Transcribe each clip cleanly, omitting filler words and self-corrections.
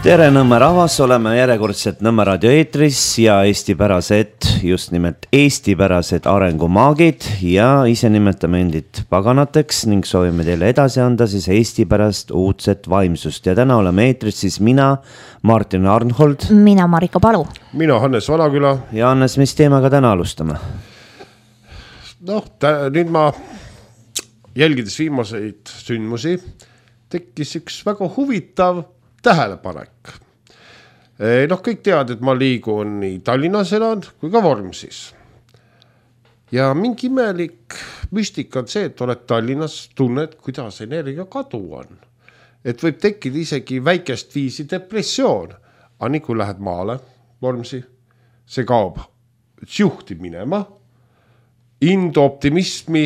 Tere Nõmme rahvas, oleme järjekordselt Nõmme raadio eetris ja eestipärased, just nimelt eestipärased arengumaagid ja ise nimetame endid paganateks ning soovime teile edasi anda siis eestipärast uudset vaimsust. Ja täna oleme eetris siis mina, Martin Arnhold. Mina, Marika Palu. Mina, Hannes Vanaküla. Ja Hannes, mis teemaga täna alustame? Nüüd ma jälgides viimaseid sündmusi tekkis üks väga huvitav tähelepanek. Kõik teavad, et ma liigun nii Tallinnas elan kui ka Vormsis. Ja mingi imelik müstika on see, et oled Tallinnas, tunned, kuidas energia kadu on. Et võib tekkida isegi väikest viisi depressioon. Aga nii kui lähed maale, Vormsi, see kaob, juhtib minema, indu optimismi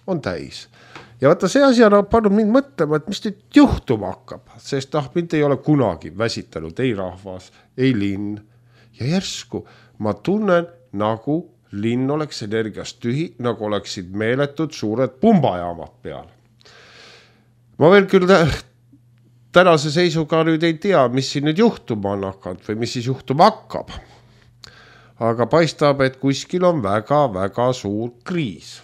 on täis. Ja vaata see asi on pannud mind mõtlema, et mis nüüd juhtuma hakkab, sest mind ei ole kunagi väsitanud ei rahvas, ei linn. Ja järsku ma tunnen, nagu linn oleks energiast tühi, nagu oleksid meeletud suured pumbajaamad peal. Ma veel küll tänase seisuga nüüd ei tea, mis siin nüüd juhtuma on hakanud või mis siis juhtuma hakkab. Aga paistab, et kuskil on väga suur kriis.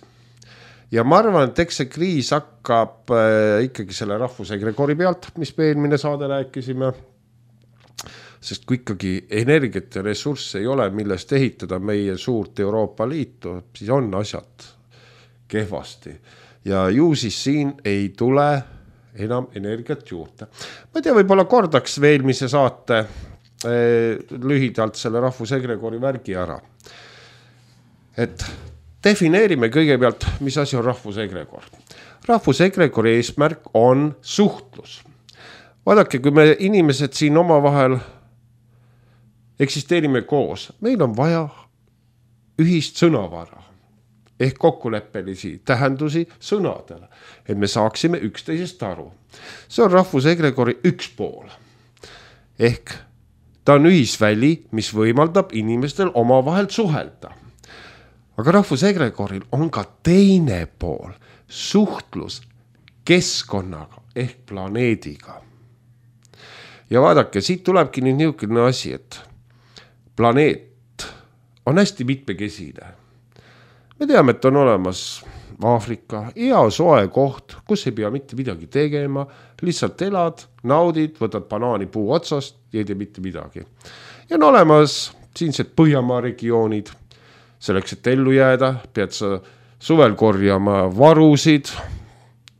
Ja ma arvan, et eks see kriis hakkab ikkagi selle rahvusegregori pealt, mis me eelmine saade rääkisime. Sest kui ikkagi energiat ja ressursse ei ole, millest ehitada meie suurt Euroopa Liitu, siis on asjad kehvasti. Ja ju siis siin ei tule enam energiat juurde. Ma ei tea, võib-olla kordaks veel eelmise saate lühidalt selle rahvusegregori värgi ära. Et defineerime kõigepealt, mis asi on rahvusegregor. Rahvusegregori eesmärk on suhtlus. Vaadake, kui me inimesed siin omavahel eksisteerime koos, meil on vaja ühist sõnavara ehk kokkuleppelisi tähendusi sõnadele, et me saaksime üksteisest aru. See on rahvusegregori üks pool. Ehk ta on ühisväli, mis võimaldab inimestel omavahel suhelda. Aga rahvusegregoril on ka teine pool, suhtlus keskkonnaga ehk planeediga. Ja vaadake, siit tulebki nüüd niisugune asi, et planeet on hästi mitmekesine. Me teame, et on olemas Aafrika, hea soe koht, kus ei pea mitte midagi tegema, lihtsalt elad, naudid, võtad banaani puu otsast ja ei tee mitte midagi. Ja on olemas siinsed Põhjamaa regioonid. Selleks, et ellu jääda, pead sa suvel korjama varusid,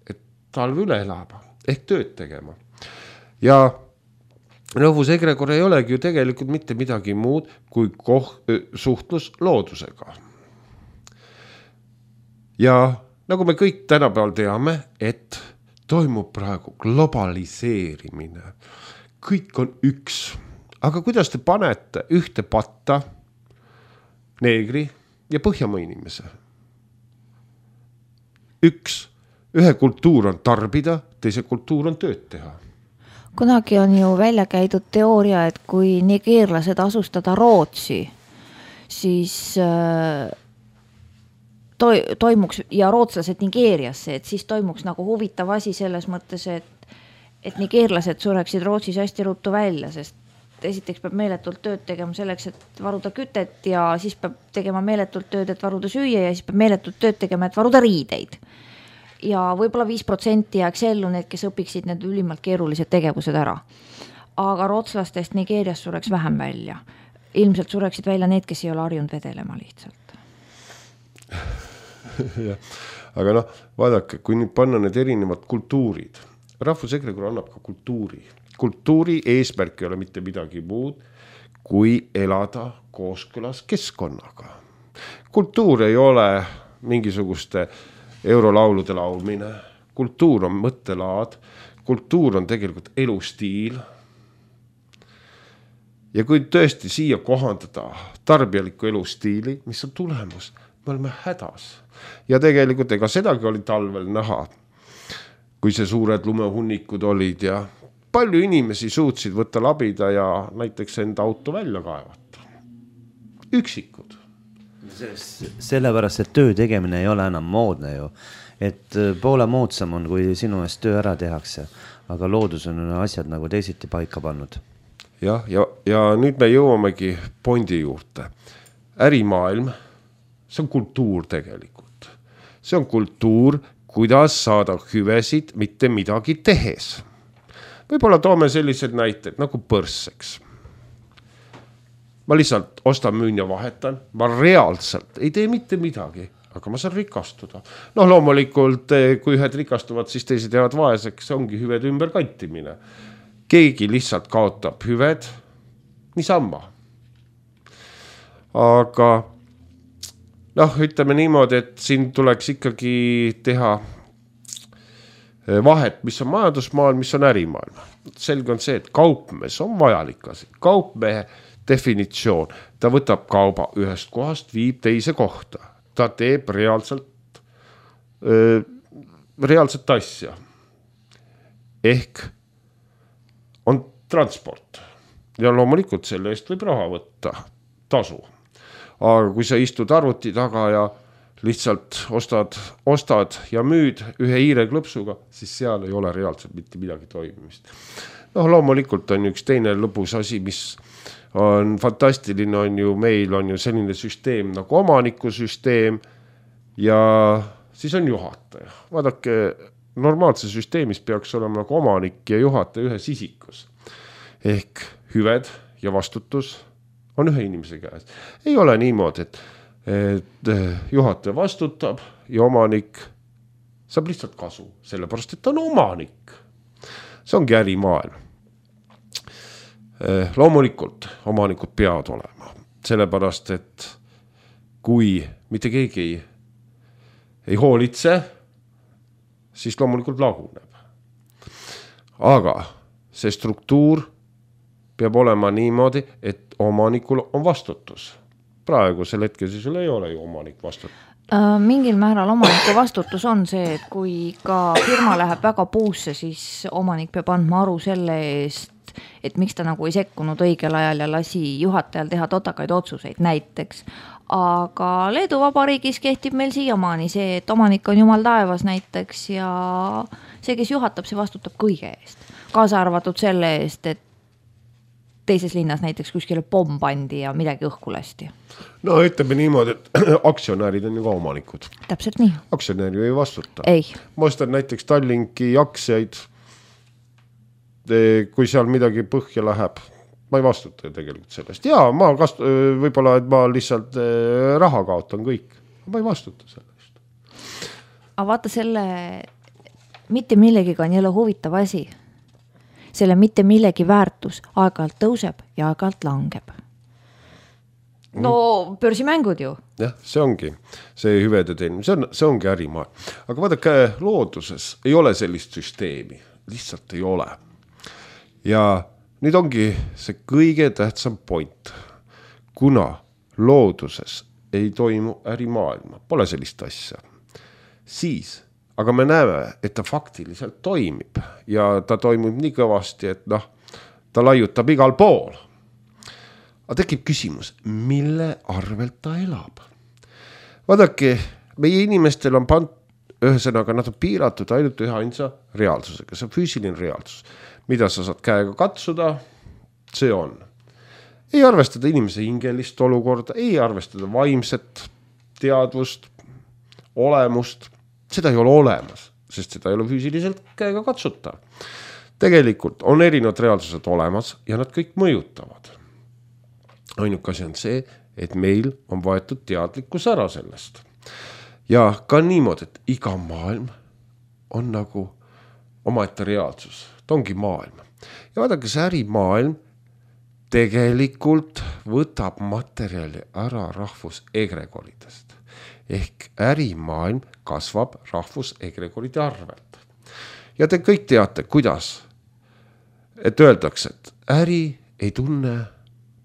et talv üle elama, ehk tööd tegema. Ja rahvusegregor ei olegi ju tegelikult mitte midagi muud kui suhtlus loodusega. Ja nagu me kõik tänapäeval teame, et toimub praegu globaliseerimine. Kõik on üks. Aga kuidas te panete ühte patta neegri ja Põhjamaa inimese? Ühe kultuur on tarbida, teise kultuur on tööd teha. Kunagi on ju välja käidud teooria, et kui nigeerlased asustada Rootsi, siis toimuks ja rootslased Nigeeriasse, et siis toimuks nagu huvitav asi selles mõttes, et nigeerlased sureksid Rootsis hästi ruttu välja, sest esiteks peab meeletult tööd tegema selleks, et varuda kütet ja siis peab tegema meeletult tööd, et varuda süüa ja siis peab meeletult tööd tegema, et varuda riideid. Ja võib-olla 5% jääks ellu need, kes õpiksid need ülimalt keerulised tegevused ära. Aga rootslastest Nigeerias sureks vähem välja. Ilmselt sureksid välja need, kes ei ole harjunud vedelema lihtsalt. Aga vaadake, kui nüüd panna need erinevad kultuurid, rahvusegregor annab ka kultuuri. Kultuuri eesmärk ei ole mitte midagi muud, kui elada kooskõlas keskkonnaga. Kultuur ei ole mingisuguste eurolaulude laulmine. Kultuur on mõttelaad. Kultuur on tegelikult elustiil. Ja kui tõesti siia kohandada tarbijaliku elustiili, mis on tulemus, me oleme hädas. Ja tegelikult ega sedagi oli talvel näha, kui see suured lumehunnikud olid ja palju inimesi suutsid võtta labida ja näiteks enda auto välja kaevata. Üksikud. Sellepärast, et töö tegemine ei ole enam moodne ju. Et poole moodsam on, kui sinu eest töö ära tehakse. Aga loodus on asjad nagu teisiti paika pannud. ja nüüd me jõuamegi pointi juurde. Ärimaailm, see on kultuur tegelikult. See on kultuur, kuidas saada hüvesid mitte midagi tehes. Võib-olla toome sellised näited nagu põrsseks. Ma lihtsalt ostan, müün ja vahetan. Ma reaalselt ei tee mitte midagi, aga ma saan rikastuda. Loomulikult, kui ühed rikastuvad, siis teised jäävad vaeseks, see ongi hüved ümberkantimine. Keegi lihtsalt kaotab hüved niisama. Aga ütleme niimoodi, et siin tuleks ikkagi teha vahet, mis on majandusmaailm, mis on ärimaailm. Selge on see, et kaupmees on vajalik asi. Kaupmehe definitsioon, ta võtab kauba ühest kohast, viib teise kohta. Ta teeb reaalset asja. Ehk on transport. Ja loomulikult selle eest võib raha võtta, tasu. Aga kui sa istud arvuti taga ja lihtsalt ostad ja müüd ühe hiireklõpsuga, siis seal ei ole reaalselt mitte midagi toimimist. Loomulikult on üks teine lõbus asi, mis on fantastiline, on ju, meil on ju selline süsteem nagu omanikusüsteem ja siis on juhataja. Vaadake, normaalse süsteemis peaks olema nagu omanik ja juhataja ühes isikus. Ehk hüved ja vastutus on ühe inimese käes. Ei ole niimoodi, et juhataja vastutab ja omanik saab lihtsalt kasu, sellepärast, et ta on omanik. See ongi ärimaailm. Loomulikult omanikud peavad olema, sellepärast, et kui mitte keegi ei hoolitse, siis loomulikult laguneb. Aga see struktuur peab olema niimoodi, et omanikul on vastutus. Praegusel hetkel siis ei ole ju omanik vastutus. Mingil määral omaniku vastutus on see, et kui ka firma läheb väga puusse, siis omanik peab andma aru selle eest, et miks ta nagu ei sekkunud õigel ajal ja lasi juhatajal teha totakaid otsuseid näiteks. Aga Leedu Vabariigis kehtib meil siiamaani see, et omanik on jumal taevas näiteks ja see, kes juhatab, see vastutab kõige eest. Kaasa arvatud selle eest, et teises linnas näiteks kuskile pomm pandi ja midagi õhku lasti. Ütleme niimoodi, et aktsionäärid on ju ka omanikud. Täpselt nii. Aktsionääri ei vastuta. Ei. Ma ostan näiteks Tallinki aktsiaid. Kui seal midagi põhja läheb, ma ei vastuta tegelikult sellest. Jaa, võib-olla, et ma lihtsalt raha kaotan kõik. Ma ei vastuta sellest. Aga vaata selle mitte millegiga on jälle huvitav asi. Selle mitte millegi väärtus aeg-ajalt tõuseb ja aeg-ajalt langeb. Börsimängud ju. Jah, see ongi see hüvede teenimine, see ongi ärimaa. Aga vaadake, looduses ei ole sellist süsteemi, lihtsalt ei ole. Ja nüüd ongi see kõige tähtsam point, kuna looduses ei toimu ärimaailma, pole sellist asja, siis, aga me näeme, et ta faktiliselt toimib ja ta toimib nii kõvasti, et ta laiutab igal pool. Aga tekib küsimus, mille arvelt ta elab? Vaadake, meie inimestel on ühesõnaga nad on piiratud ainult ühe ainsa reaalsusega, see on füüsiline reaalsus. Mida sa saad käega katsuda, see on. Ei arvestada inimese hingelist olukorda, ei arvestada vaimset teadvust, olemust. Seda ei ole olemas, sest seda ei ole füüsiliselt käega katsuta. Tegelikult on erinevad reaalsused olemas ja nad kõik mõjutavad. Ainuke asi on see, et meil on võetud teadlikkus ära sellest. Ja ka niimoodi, et iga maailm on nagu omaette reaalsus. Ta ongi maailm. Ja vaadake, see ärimaailm tegelikult võtab materjali ära rahvusegregoridest. Ehk ärimaailm kasvab rahvusegregoride arvelt. Ja te kõik teate, kuidas, et öeldakse, et äri ei tunne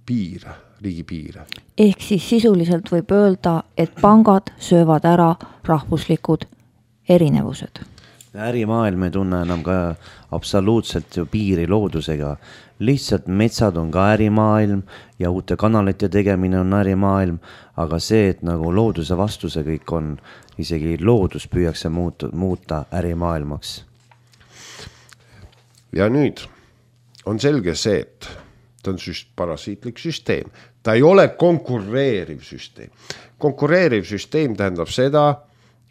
piire, riigipiire. Ehk siis sisuliselt võib öelda, et pangad söövad ära rahvuslikud erinevused. Ärimaailm ei tunne enam ka absoluutselt ju piiri loodusega. Lihtsalt metsad on ka ärimaailm ja uute kanalite tegemine on ärimaailm, aga see, et nagu looduse vastuse kõik on, isegi loodus püüakse muuta ärimaailmaks. Ja nüüd on selge see, et ta on parasiitlik süsteem. Ta ei ole konkureeriv süsteem. Konkureeriv süsteem tähendab seda,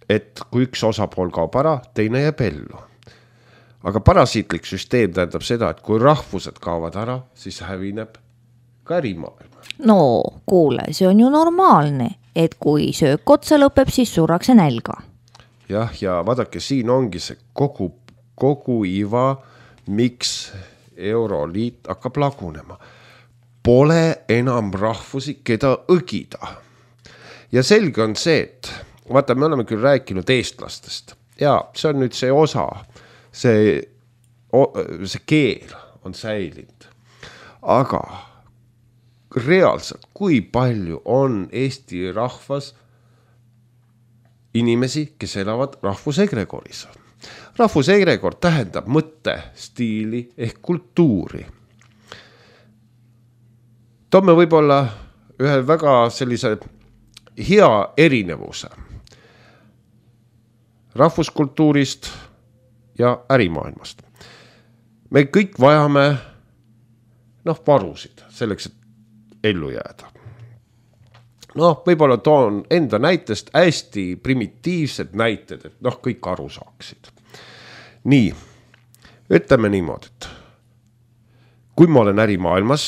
et kui üks osapool kaob ära, teine jääb ellu. Aga parasiitlik süsteem tähendab seda, et kui rahvused kaovad ära, siis hävineb ka ärimaailma. No kuule, see on ju normaalne, et kui söök otsa lõpeb, siis surrakse nälga. Jah, ja vaadake, siin ongi see kogu iva, miks Euroliit hakkab lagunema. Pole enam rahvusi, keda õgida. Ja selge on see, et vaata, me oleme küll rääkinud eestlastest ja see on nüüd see osa, see keel on säilinud. Aga reaalselt, kui palju on Eesti rahvas inimesi, kes elavad rahvusegregoris? Rahvusegregor tähendab mõtte, stiili ehk kultuuri. Toome võib-olla ühe väga sellise hea erinevuse rahvuskultuurist ja ärimaailmast. Me kõik vajame varusid selleks, et ellu jääda. Võib-olla toon enda näitest hästi primitiivsed näited, et kõik aru saaksid. Nii, ütleme niimoodi, et kui ma olen ärimaailmas,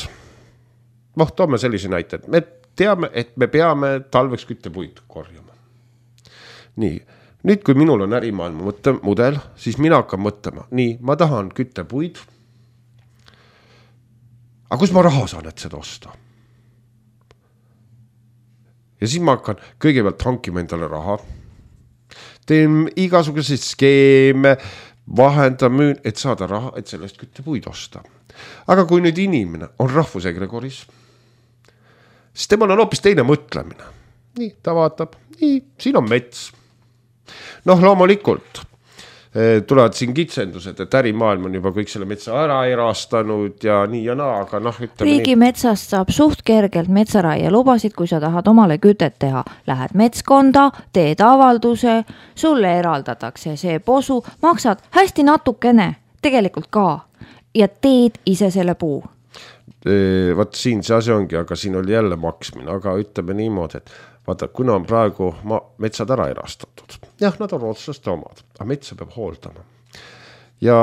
toome sellise näite, et me teame, et me peame talveks küttepuid korjama. Nii, nüüd kui minul on ärimaailma mudel, siis mina hakkan mõtlema, nii, ma tahan küttepuid, aga kus ma raha saan, et seda osta? Ja siis ma hakkan kõigepealt hankima endale raha, teen igasuguseid skeeme, vahendan, müün, et saada raha, et sellest küttepuid osta. Aga kui nüüd inimene on rahvusegregoris, siis temal on hoopis teine mõtlemine. Nii, ta vaatab, nii, siin on mets. Loomulikult tulevad siin kitsendused, et ärimaailm on juba kõik selle metsa ära erastanud ja nii ja naa, aga Riigi metsast saab suht kergelt metsaraie lubasid, kui sa tahad omale kütet teha. Lähed metskonda, teed avalduse, sulle eraldatakse see posu, maksad hästi natukene, tegelikult ka, ja teed ise selle puu. Vaat siin see asi ongi, aga siin oli jälle maksmine, aga ütleme niimoodi, et vaata, kuna on praegu metsad ära erastatud. Jah, nad on otsuste omad, aga metsa peab hooldama. Ja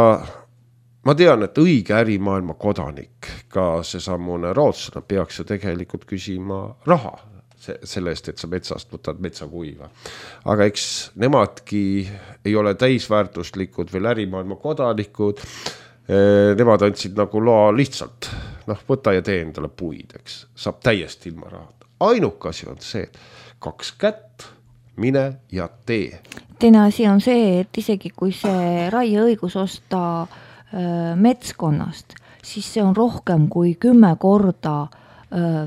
ma tean, et õige ärimaailma kodanik, ka see sammune rootslane, peaks ju tegelikult küsima raha selle eest, et sa metsast võtad metsakuiva. Aga eks nemadki ei ole täisväärtuslikud veel ärimaailma kodanikud. Nemad andsid nagu loa lihtsalt, võta ja tee endale puid, eks. Saab täiesti ilma rahata. Ainuke asi on see, 2 kätt, mine ja tee. Teine asi on see, et isegi kui see raieõigus osta metskonnast, siis see on rohkem kui 10 korda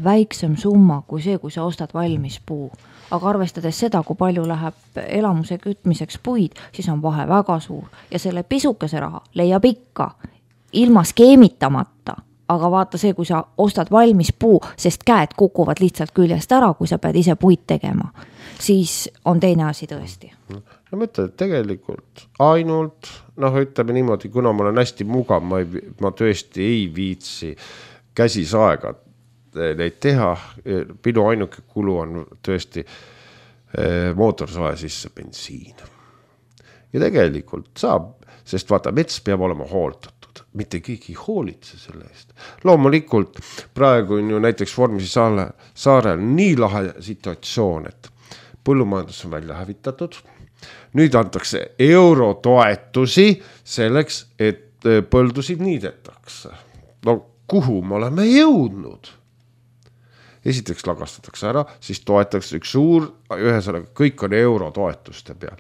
väiksem summa kui see, kui sa ostad valmis puu. Aga arvestades seda, kui palju läheb elamuse kütmiseks puid, siis on vahe väga suur. Ja selle pisukese raha leiab ikka ilma skeemitamata. Aga vaata see, kui sa ostad valmis puu, sest käed kukuvad lihtsalt küljest ära, kui sa pead ise puid tegema, siis on teine asi tõesti. Ma ütlen, et tegelikult ainult, ütleme niimoodi, kuna ma olen hästi mugav, ma tõesti ei viitsi käsisaega neid teha. Minu ainuke kulu on tõesti mootorsae sisse bensiin. Ja tegelikult saab, sest vaata, mets peab olema hooldatud. Mitte keegi hoolitse selle eest. Loomulikult praegu on ju näiteks Vormsi saarel nii lahe situatsioon, et põllumajandus on välja hävitatud. Nüüd antakse eurotoetusi selleks, et põldusid niidetakse. Kuhu me oleme jõudnud? Esiteks lagastatakse ära, siis toetatakse üks suur, ühesõnaga kõik on eurotoetuste peal.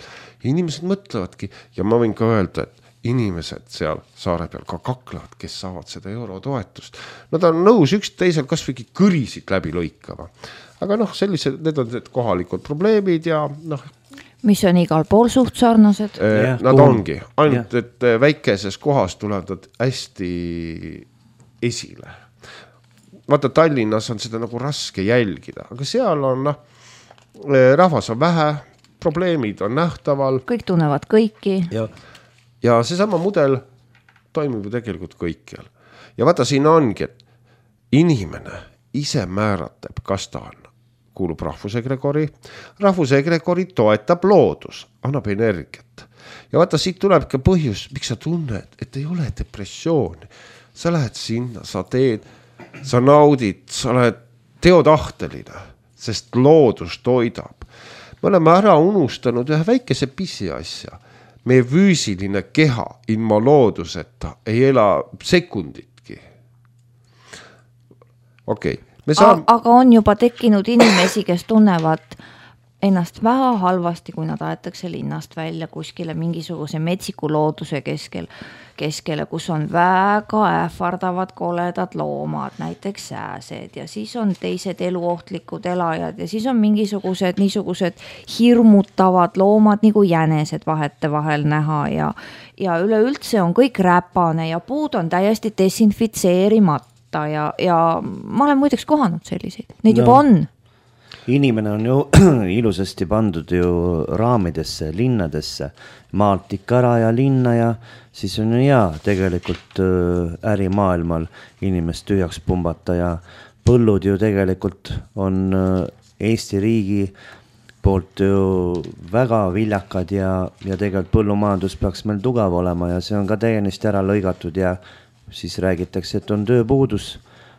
Inimesed mõtlevadki ja ma võin ka öelda, et inimesed seal saare peal ka kaklevad, kes saavad seda eurotoetust. Nad on nõus üks teisel kasvõi kõrisid läbi lõikama. Aga sellised, need on kohalikud probleemid ja mis on igal pool suht sarnased. Nad ongi, ainult et väikeses kohas tulevad nad hästi esile. Vaata, Tallinnas on seda nagu raske jälgida, aga seal on rahvas on vähe, probleemid on nähtaval. Kõik tunnevad kõiki. Ja see sama mudel toimib ju tegelikult kõikjal. Ja vaata, siin ongi, et inimene ise määratab, kas ta on, kuulub rahvusegregori. Rahvusegregori toetab loodus, annab energiat. Ja vaata, siit tuleb ka põhjus, miks sa tunned, et ei ole depressiooni. Sa lähed sinna, sa teed, sa naudid, sa oled teotahteline, sest loodus toidab. Me oleme ära unustanud ühe väikese pisiasja. Meie füüsiline keha ilma looduseta ei ela sekunditki. Okei. Aga on juba tekkinud inimesi, kes tunnevad ennast väga halvasti, kui nad aetakse linnast välja kuskile mingisuguse metsiku looduse keskele, kus on väga ähvardavad koledad loomad, näiteks sääsed ja siis on teised eluohtlikud elajad ja siis on mingisugused niisugused hirmutavad loomad nagu jänesed vahetevahel näha ja üleüldse on kõik räpane ja puud on täiesti desinfitseerimata. Ja ma olen muideks kohanud selliseid, neid juba on. Inimene on ju ilusasti pandud ju raamidesse, linnadesse, maalt ikka ära ja linna ja siis on ju hea tegelikult ärimaailmal inimest tühjaks pumbata ja põllud ju tegelikult on Eesti riigi poolt ju väga viljakad ja tegelikult põllumajandus peaks meil tugev olema ja see on ka täiesti ära lõigatud ja siis räägitakse, et on tööpuudus,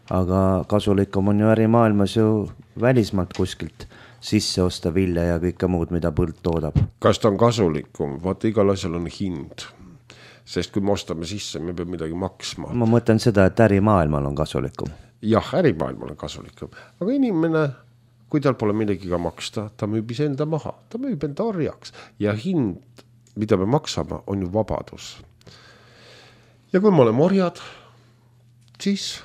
aga kasulikum on ju ärimaailmas ju välismaalt kuskilt sisse osta vilja ja kõike muud, mida põld toodab. Kas ta on kasulikum? Vaata, igal asjal on hind. Sest kui me ostame sisse, me peame midagi maksma. Ma mõtlen seda, et ärimaailmal on kasulikum. Jah, ärimaailmal on kasulikum. Aga inimene, kui tal pole millegiga maksta, ta müüb enda maha. Ta müüb enda orjaks. Ja hind, mida me maksame, on ju vabadus. Ja kui me oleme orjad, siis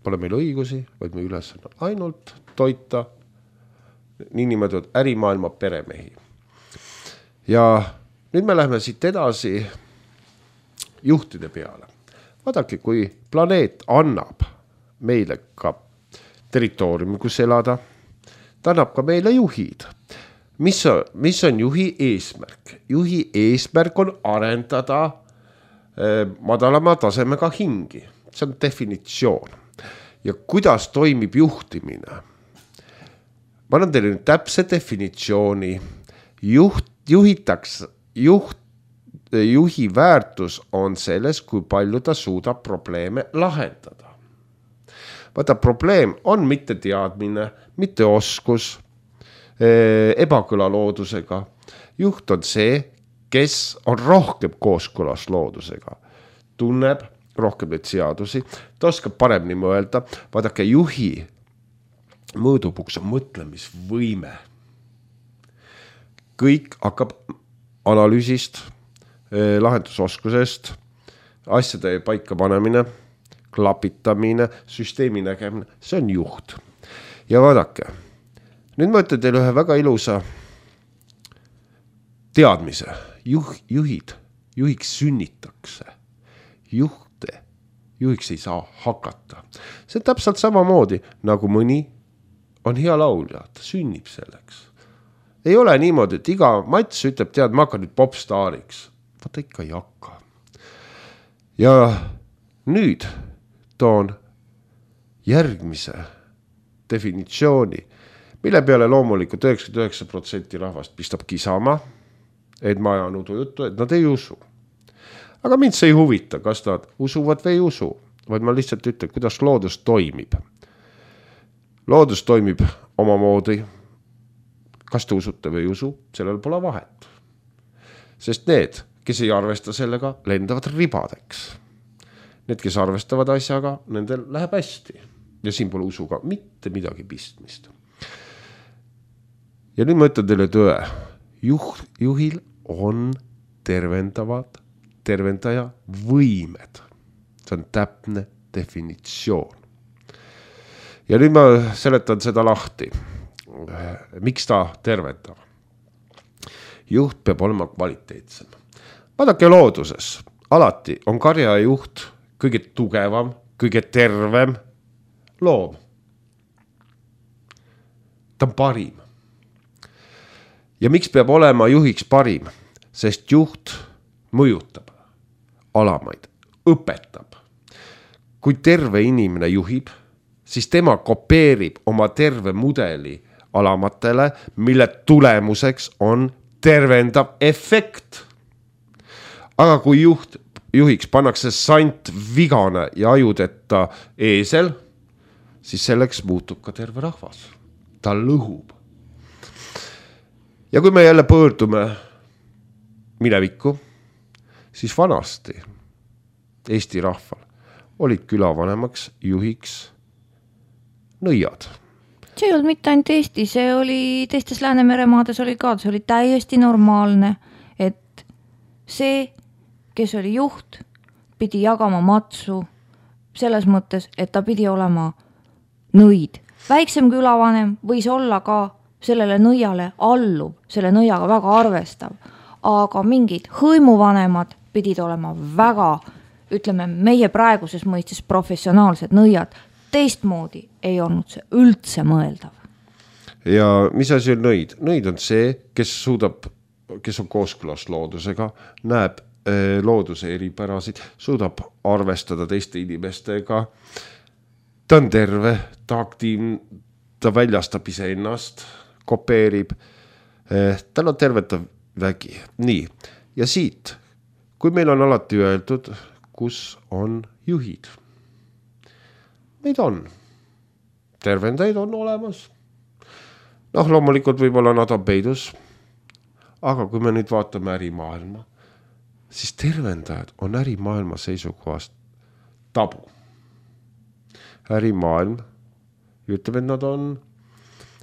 pole meil õigusi, vaid me üles ainult toita niinimetatud ärimaailma peremehi. Ja nüüd me läheme siit edasi juhtide peale. Vaadake, kui planeet annab meile ka territooriumi, kus elada, ta annab ka meile juhid. Mis on juhi eesmärk? Juhi eesmärk on arendada madalama tasemega hingi. See on definitsioon. Ja kuidas toimib juhtimine? Ma annan teile nüüd täpse definitsiooni. Juhi väärtus on selles, kui palju ta suudab probleeme lahendada. Vaata, probleem on mitte teadmine, mitte oskus, ebakõla loodusega. Juht on see, kes on rohkem kooskõlas loodusega, tunneb rohkem neid seadusi, ta oskab paremini mõelda. Vaadake, juhi mõõdupuks on mõtlemisvõime. Kõik hakkab analüüsist, lahendusoskusest, asjade paika panemine, klapitamine, süsteemi nägemine, see on juht. Ja vaadake, nüüd ma ütlen teile ühe väga ilusa teadmise. Juhiks sünnitakse. Juhiks ei saa hakata. See on täpselt samamoodi, nagu mõni on hea laulja, ta sünnib selleks. Ei ole niimoodi, et iga mats ütleb, tead, ma hakkan nüüd popstaariks. Vaata ikka ei hakka. Ja nüüd toon järgmise definitsiooni, mille peale loomulikult 99% rahvast pistab kisama, et ma ajan udujuttu, et nad ei usu. Aga mind see ei huvita, kas nad usuvad või ei usu, vaid ma lihtsalt ütlen, kuidas loodus toimib. Loodus toimib omamoodi. Kas te usute või ei usu, sellel pole vahet. Sest need, kes ei arvesta sellega, lendavad ribadeks. Need, kes arvestavad asjaga, nendel läheb hästi. Ja siin pole usuga mitte midagi pistmist. Ja nüüd ma ütlen teile tõe. Juhil on tervendaja võimed. See on täpne definitsioon. Ja nüüd ma seletan seda lahti. Miks ta tervendab? Juht peab olema kvaliteetsem. Vaadake looduses. Alati on karja juht kõige tugevam, kõige tervem loom. Ta on parim. Ja miks peab olema juhiks parim? Sest juht mõjutab alamaid, õpetab. Kui terve inimene juhib, siis tema kopeerib oma terve mudeli alamatele, mille tulemuseks on tervendav efekt. Aga kui juhiks pannakse sant vigane ja ajudeta eesel, siis selleks muutub ka terve rahvas. Ta lõhub. Ja kui me jälle pöördume minevikku, siis vanasti Eesti rahval olid külavanemaks juhiks nõiad. See ei olnud mitte ainult Eesti, see oli teistes Läänemeremaades oli ka, see oli täiesti normaalne, et see, kes oli juht, pidi jagama matsu selles mõttes, et ta pidi olema nõid. Väiksem külavanem võis olla ka sellele nõiale alluv, selle nõiaga väga arvestav, aga mingid hõimuvanemad pidid olema väga, ütleme, meie praeguses mõistes professionaalsed nõiad. Teistmoodi ei olnud see üldse mõeldav. Ja mis asi on nõid? Nõid on see, kes on kooskõlas loodusega, näeb looduse eripärasid, suudab arvestada teiste inimestega, ta on terve, ta aktiivne, ta väljastab iseennast, kopeerib, tal on tervetav vägi. Nii, ja siit, kui meil on alati öeldud, kus on juhid. Neid on. Tervendaid on olemas. Loomulikult võib-olla nad on peidus, aga kui me nüüd vaatame ärimaailma, siis tervendajad on ärimaailma seisukohast tabu. Ärimaailm ütleb, et nad on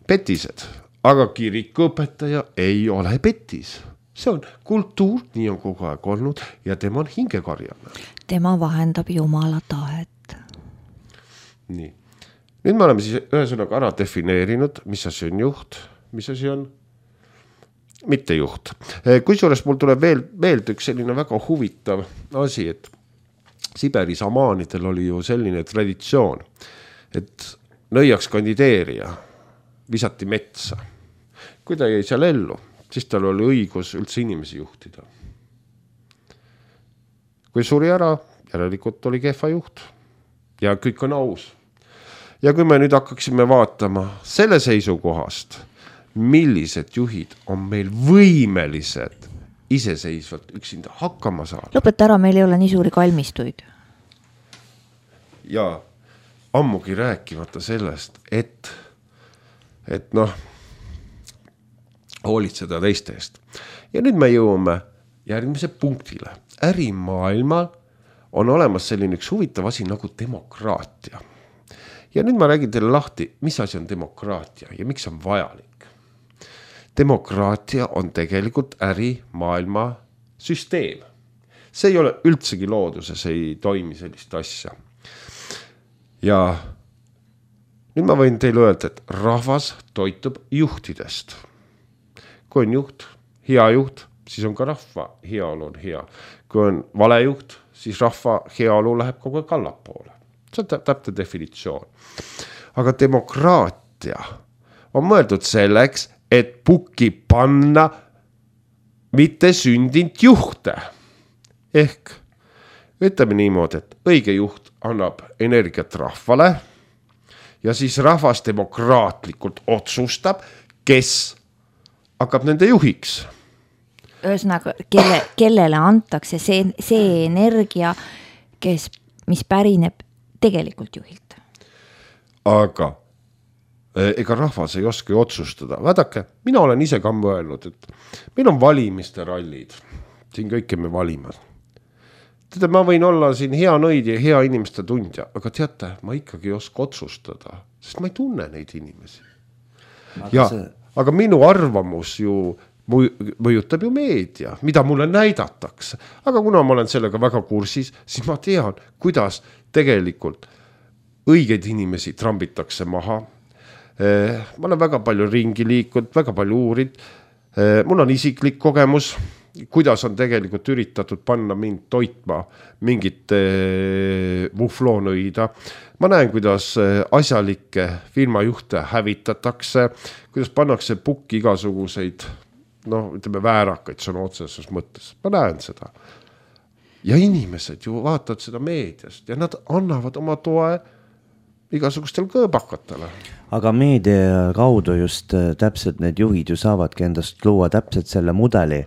petised, aga kirikuõpetaja ei ole petis. See on kultuur, nii on kogu aeg olnud ja tema on hingekarjana. Tema vahendab Jumala tahet. Nii. Nüüd me oleme siis ühesõnaga ära defineerinud, mis asi on juht, mis asi on mitte juht. Kusjuures mul tuleb veel üks selline väga huvitav asi, et Siberi samaanidel oli ju selline traditsioon, et nõiaks kandideerija visati metsa. Kui ta jäi seal ellu, siis tal oli õigus üldse inimesi juhtida. Kui suri ära, järelikult oli kehva juht ja kõik on aus. Ja kui me nüüd hakkaksime vaatama selle seisukohast, millised juhid on meil võimelised iseseisvalt üksinda hakkama saada. Lõpeta ära, meil ei ole nii suuri kalmistuid. Ja ammugi rääkimata sellest, et hoolitseda teiste eest. Ja nüüd me jõuame järgmise punktile. Ärimaailmal on olemas selline üks huvitav asi nagu demokraatia. Ja nüüd ma räägin teile lahti, mis asi on demokraatia ja miks on vajalik. Demokraatia on tegelikult ärimaailma süsteem. See ei ole üldsegi looduses, ei toimi sellist asja. Ja nüüd ma võin teile öelda, et rahvas toitub juhtidest. Kui on juht, hea juht, siis on ka rahva heaolu on hea. Kui on vale juht, siis rahva heaolu läheb kogu aeg allapoole. See on täpne definitsioon. Aga demokraatia on mõeldud selleks, et pukki panna mitte sündint juhte. Ehk ütleme niimoodi, et õige juht annab energiat rahvale ja siis rahvas demokraatlikult otsustab, kes hakkab nende juhiks. Ühesõnaga, kellele antakse see energia, mis pärineb tegelikult juhilt. Aga ega rahvas ei oska otsustada. Vaadake, mina olen ise ka mõelnud, et meil on valimiste rallid. Siin kõike me valime. Teate, ma võin olla siin hea nõid ja hea inimeste tundja, aga teate, ma ikkagi ei oska otsustada, sest ma ei tunne neid inimesi. Aga minu arvamus ju mõjutab ju meedia, mida mulle näidatakse. Aga kuna ma olen sellega väga kursis, siis ma tean, kuidas tegelikult õigeid inimesi trambitakse maha. Ma olen väga palju ringi liikunud, väga palju uurid. Mul on isiklik kogemus, kuidas on tegelikult üritatud panna mind toitma mingit mufloonõida. Ma näen, kuidas asjalikke firmajuhte hävitatakse, kuidas pannakse pukki igasuguseid ütleme väärakaid sõna otseses mõttes. Ma näen seda. Ja inimesed ju vaatavad seda meediast ja nad annavad oma toe igasugustel kõõbakatele. Aga meedia kaudu just täpselt need juhid ju saavadki endast luua täpselt selle mudeli,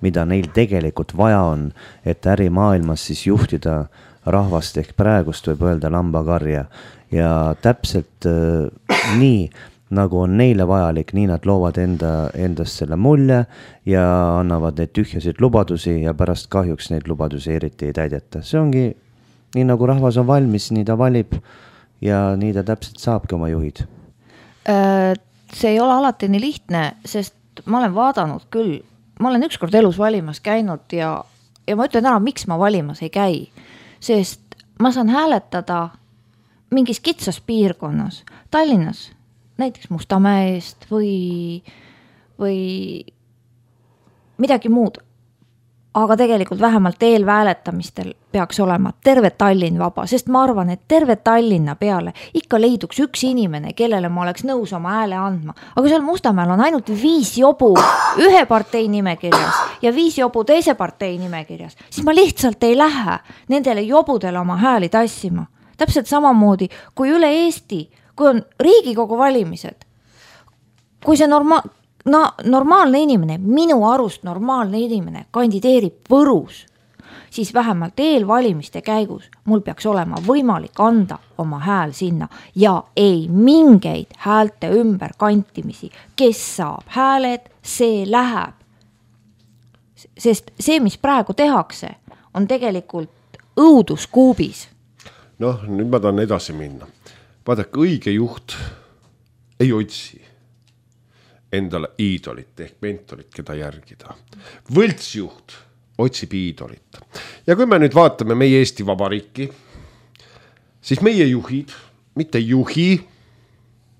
mida neil tegelikult vaja on, et ärimaailmas siis juhtida rahvast ehk praegust võib öelda lambakarja. Ja täpselt nii, nagu on neile vajalik, nii nad loovad endast selle mulje ja annavad neid tühjasid lubadusi ja pärast kahjuks neid lubadusi eriti ei täideta. See ongi nii, nagu rahvas on valmis, nii ta valib ja nii ta täpselt saabki oma juhid. See ei ole alati nii lihtne, sest ma olen vaadanud küll, ma olen ükskord elus valimas käinud ja ma ütlen ära, miks ma valimas ei käi, sest ma saan hääletada mingis kitsas piirkonnas, Tallinnas, näiteks Mustamäe eest või midagi muud. Aga tegelikult vähemalt eelhääletamistel peaks olema terve Tallinn vaba, sest ma arvan, et terve Tallinna peale ikka leiduks üks inimene, kellele ma oleks nõus oma hääle andma. Aga seal Mustamäel on ainult 5 jobu ühe partei nimekirjas ja 5 jobu teise partei nimekirjas. Siis ma lihtsalt ei lähe nendele jobudele oma hääli tassima. Täpselt samamoodi kui üle Eesti, kui on Riigikogu valimised, kui see normaalne inimene, minu arust normaalne inimene kandideerib Võrus, siis vähemalt eelvalimiste käigus mul peaks olema võimalik anda oma hääl sinna ja ei mingeid häälte ümber kantimisi. Kes saab hääled, see läheb. Sest see, mis praegu tehakse, on tegelikult õuduskuubis. Noh, nüüd ma tahan edasi minna. Vaadake, õige juht ei otsi endale iidolit ehk mentorit, keda järgida. Võltsjuht otsib iidolit. Ja kui me nüüd vaatame meie Eesti Vabariiki, siis meie juhid, mitte juhi,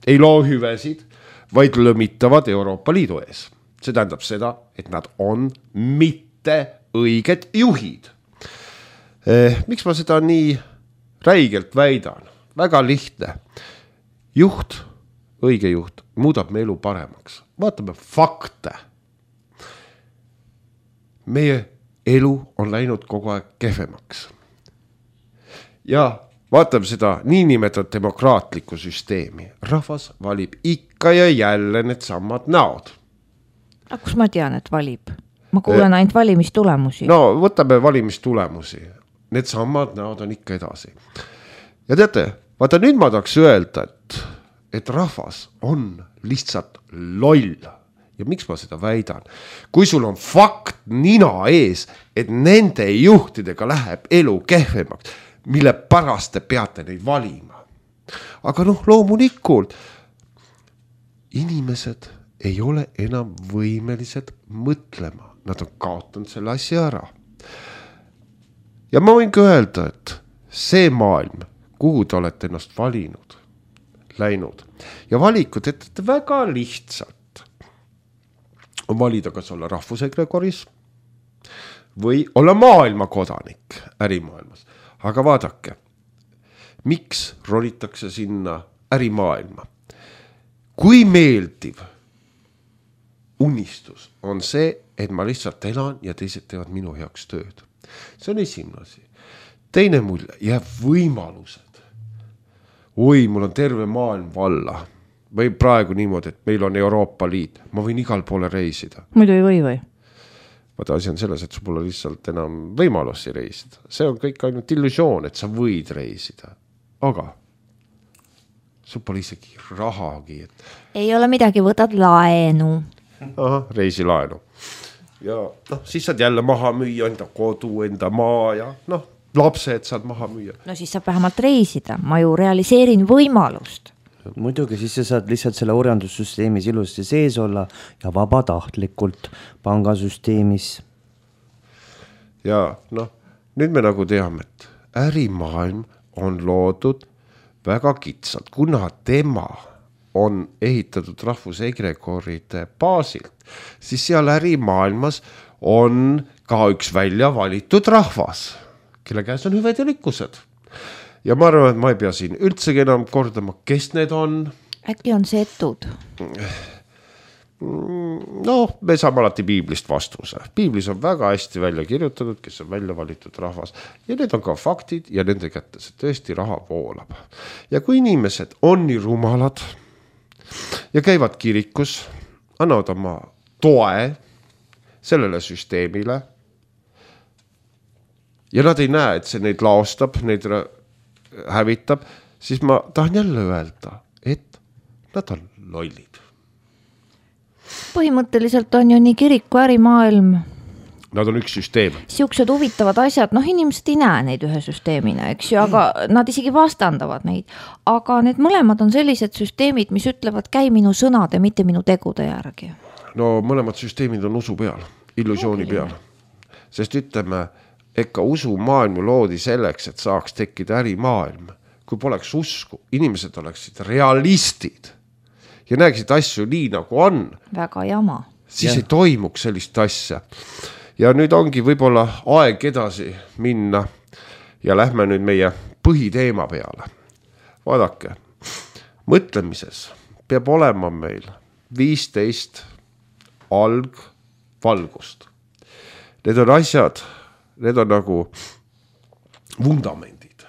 ei loo hüvesid, vaid lõmitavad Euroopa Liidu ees. See tähendab seda, et nad on mitte õiged juhid. Miks ma seda nii räigelt väidan? Väga lihtne. Juht, õige juht, muudab me elu paremaks. Vaatame fakte. Meie elu on läinud kogu aeg kehvemaks. Ja vaatame seda niinimetatud demokraatlikku süsteemi. Rahvas valib ikka ja jälle need samad näod. Aga kus ma tean, et valib? Ma kuulen ainult valimistulemusi. No, võtame valimistulemusi. Need samad näod on ikka edasi. Ja teate, vaata nüüd ma tahaks öelda, et rahvas on lihtsalt loll. Ja miks ma seda väidan? Kui sul on fakt nina ees, et nende juhtidega läheb elu kehvemaks, mille pärast te peate neid valima. Aga loomulikult, inimesed ei ole enam võimelised mõtlema. Nad on kaotanud selle asja ära. Ja ma võin ka öelda, et see maailm, kuhu te olete ennast valinud, läinud ja valikud ette väga lihtsalt on valida, kas olla rahvusegregoris või olla maailma kodanik ärimaailmas. Aga vaadake, miks ronitakse sinna ärimaailma? Kui meeldiv unistus on see, et ma lihtsalt elan ja teised teevad minu heaks tööd. See on esimene asi. Teine mulje, jääb võimalused. Oi, mul on terve maailm valla. Või praegu niimoodi, et meil on Euroopa Liit. Ma võin igal poole reisida. Muidu ei või? Vaata, asi on selles, et sul pole lihtsalt enam võimalusi reisida. See on kõik ainult illusioon, et sa võid reisida. Aga sul pole isegi rahagi. Ei ole midagi, võtad laenu. Aha, reisilaenu. Ja siis saad jälle maha müüa enda kodu, enda maa ja lapsed saad maha müüa. No siis saab vähemalt reisida, ma ju realiseerin võimalust. Muidugi, siis sa saad lihtsalt selle orjandussüsteemis ilusti sees olla ja vabatahtlikult pangasüsteemis. Ja nüüd me nagu teame, et ärimaailm on loodud väga kitsalt, kuna tema on ehitatud rahvusegregoride baasilt, siis seal ärimaailmas on ka üks välja valitud rahvas, kelle käes on hüved ja rikkused. Ja ma arvan, et ma ei pea siin üldsegi enam kordama, kes need on. Äkki on setud? noh, me saame alati piiblist vastuse. Piiblis on väga hästi välja kirjutatud, kes on välja valitud rahvas ja need on ka faktid ja nende kätte see tõesti raha voolab. Ja kui inimesed on nii rumalad ja käivad kirikus, annavad oma toe sellele süsteemile ja nad ei näe, et see neid laostab, neid hävitab, siis ma tahan jälle öelda, et nad on lollid. Põhimõtteliselt on ju nii kiriku ärimaailm. Nad on üks süsteem. Siuksed huvitavad asjad, noh inimesed ei näe neid ühe süsteemina, eks ju, aga nad isegi vastandavad neid. Aga need mõlemad on sellised süsteemid, mis ütlevad, käi minu sõnade, mitte minu tegude järgi. No mõlemad süsteemid on usu peal, illusiooni peal. Sest ütleme, ega usu maailmu loodi selleks, et saaks tekkida ärimaailm. Kui poleks usku, inimesed oleksid realistid ja näeksid asju nii, nagu on. Väga jama. Siis ei toimuks sellist asja. Ja nüüd ongi võib-olla aeg edasi minna ja lähme nüüd meie põhiteema peale. Vaadake, mõtlemises peab olema meil 15 algvalgust. Need on asjad, need on nagu vundamendid.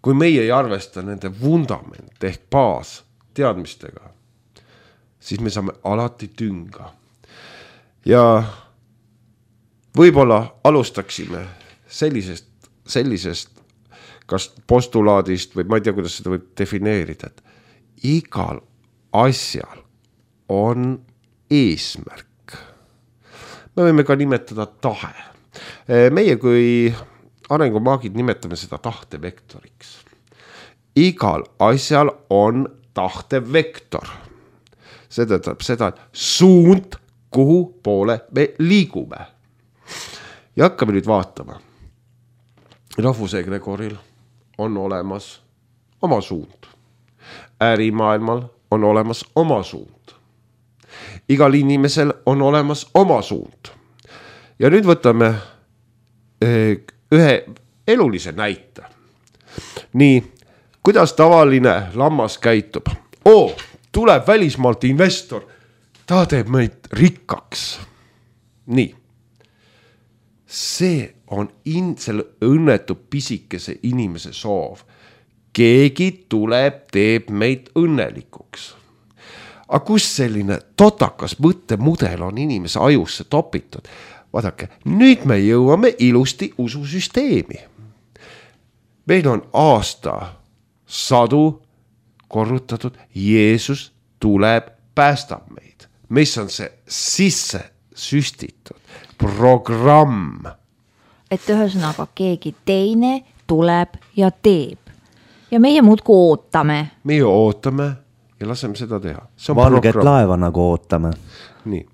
Kui meie ei arvesta nende vundament ehk baas teadmistega, siis me saame alati tünga. Ja võib-olla alustaksime sellisest kas postulaadist või ma ei tea, kuidas seda võib defineerida, et igal asjal on eesmärk. Me võime ka nimetada tahe. Meie kui arengumaagid nimetame seda tahtevektoriks. Igal asjal on tahtevektor. See tähendab seda, et suund, kuhu poole me liigume. Ja hakkame nüüd vaatama. Rahvusegregoril on olemas oma suund. Ärimaailmal on olemas oma suund. Igal inimesel on olemas oma suund. Ja nüüd võtame ühe elulise näite. Nii, kuidas tavaline lammas käitub? Tuleb välismaalt investor, ta teeb meid rikkaks. Nii, see on selle õnnetu pisikese inimese soov. Keegi tuleb, teeb meid õnnelikuks. Aga kus selline totakas mõttemudel on inimese ajusse topitud? Vaadake, nüüd me jõuame ilusti ususüsteemi. Meil on aasta sadu korrutatud, Jeesus tuleb, päästab meid. Mis on see sisse süstitud programm? Et ühesõnaga keegi teine tuleb ja teeb. Ja meie muudku ootame. Meie ootame ja laseme seda teha. Valget laeva nagu ootame. Nii.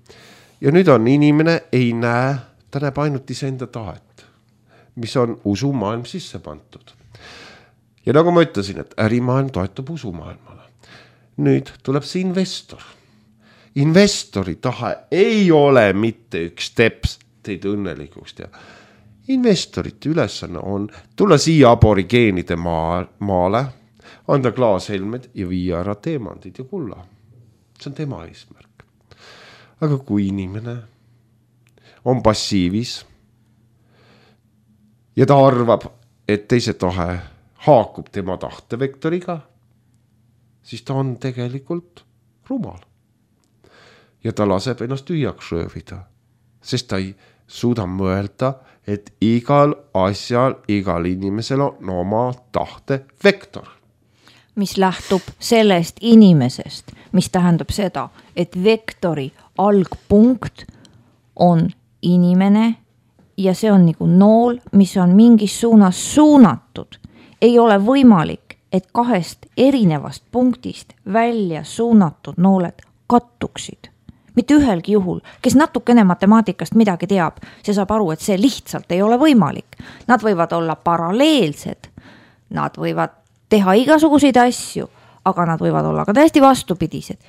Ja nüüd on inimene ei näe, ta näeb ainult iseenda tahet, mis on usumaailm sisse pantud. Ja nagu ma ütlesin, et ärimaailm toetub usumaailmale. Nüüd tuleb see investor. Investori tahe ei ole mitte üks teps teid õnnelikuks teha. Investorite ülesanne on tulla siia aborigeenide maale, anda klaashelmed ja viia ära teemandid ja kulla. See on tema eesmärk. Aga kui inimene on passiivis ja ta arvab, et teise tahe haakub tema tahtevektoriga, siis ta on tegelikult rumal. Ja ta laseb ennast tühjaks röövida, sest ta ei suuda mõelda, et igal asjal, igal inimesel on oma tahtevektor. Mis lähtub sellest inimesest, mis tähendab seda, et vektori algpunkt on inimene ja see on nagu nool, mis on mingis suunas suunatud. Ei ole võimalik, et kahest erinevast punktist välja suunatud nooled kattuksid. Mitte ühelgi juhul, kes natukene matemaatikast midagi teab, see saab aru, et see lihtsalt ei ole võimalik. Nad võivad olla paralleelsed, nad võivad teha igasuguseid asju, aga nad võivad olla ka täiesti vastupidised.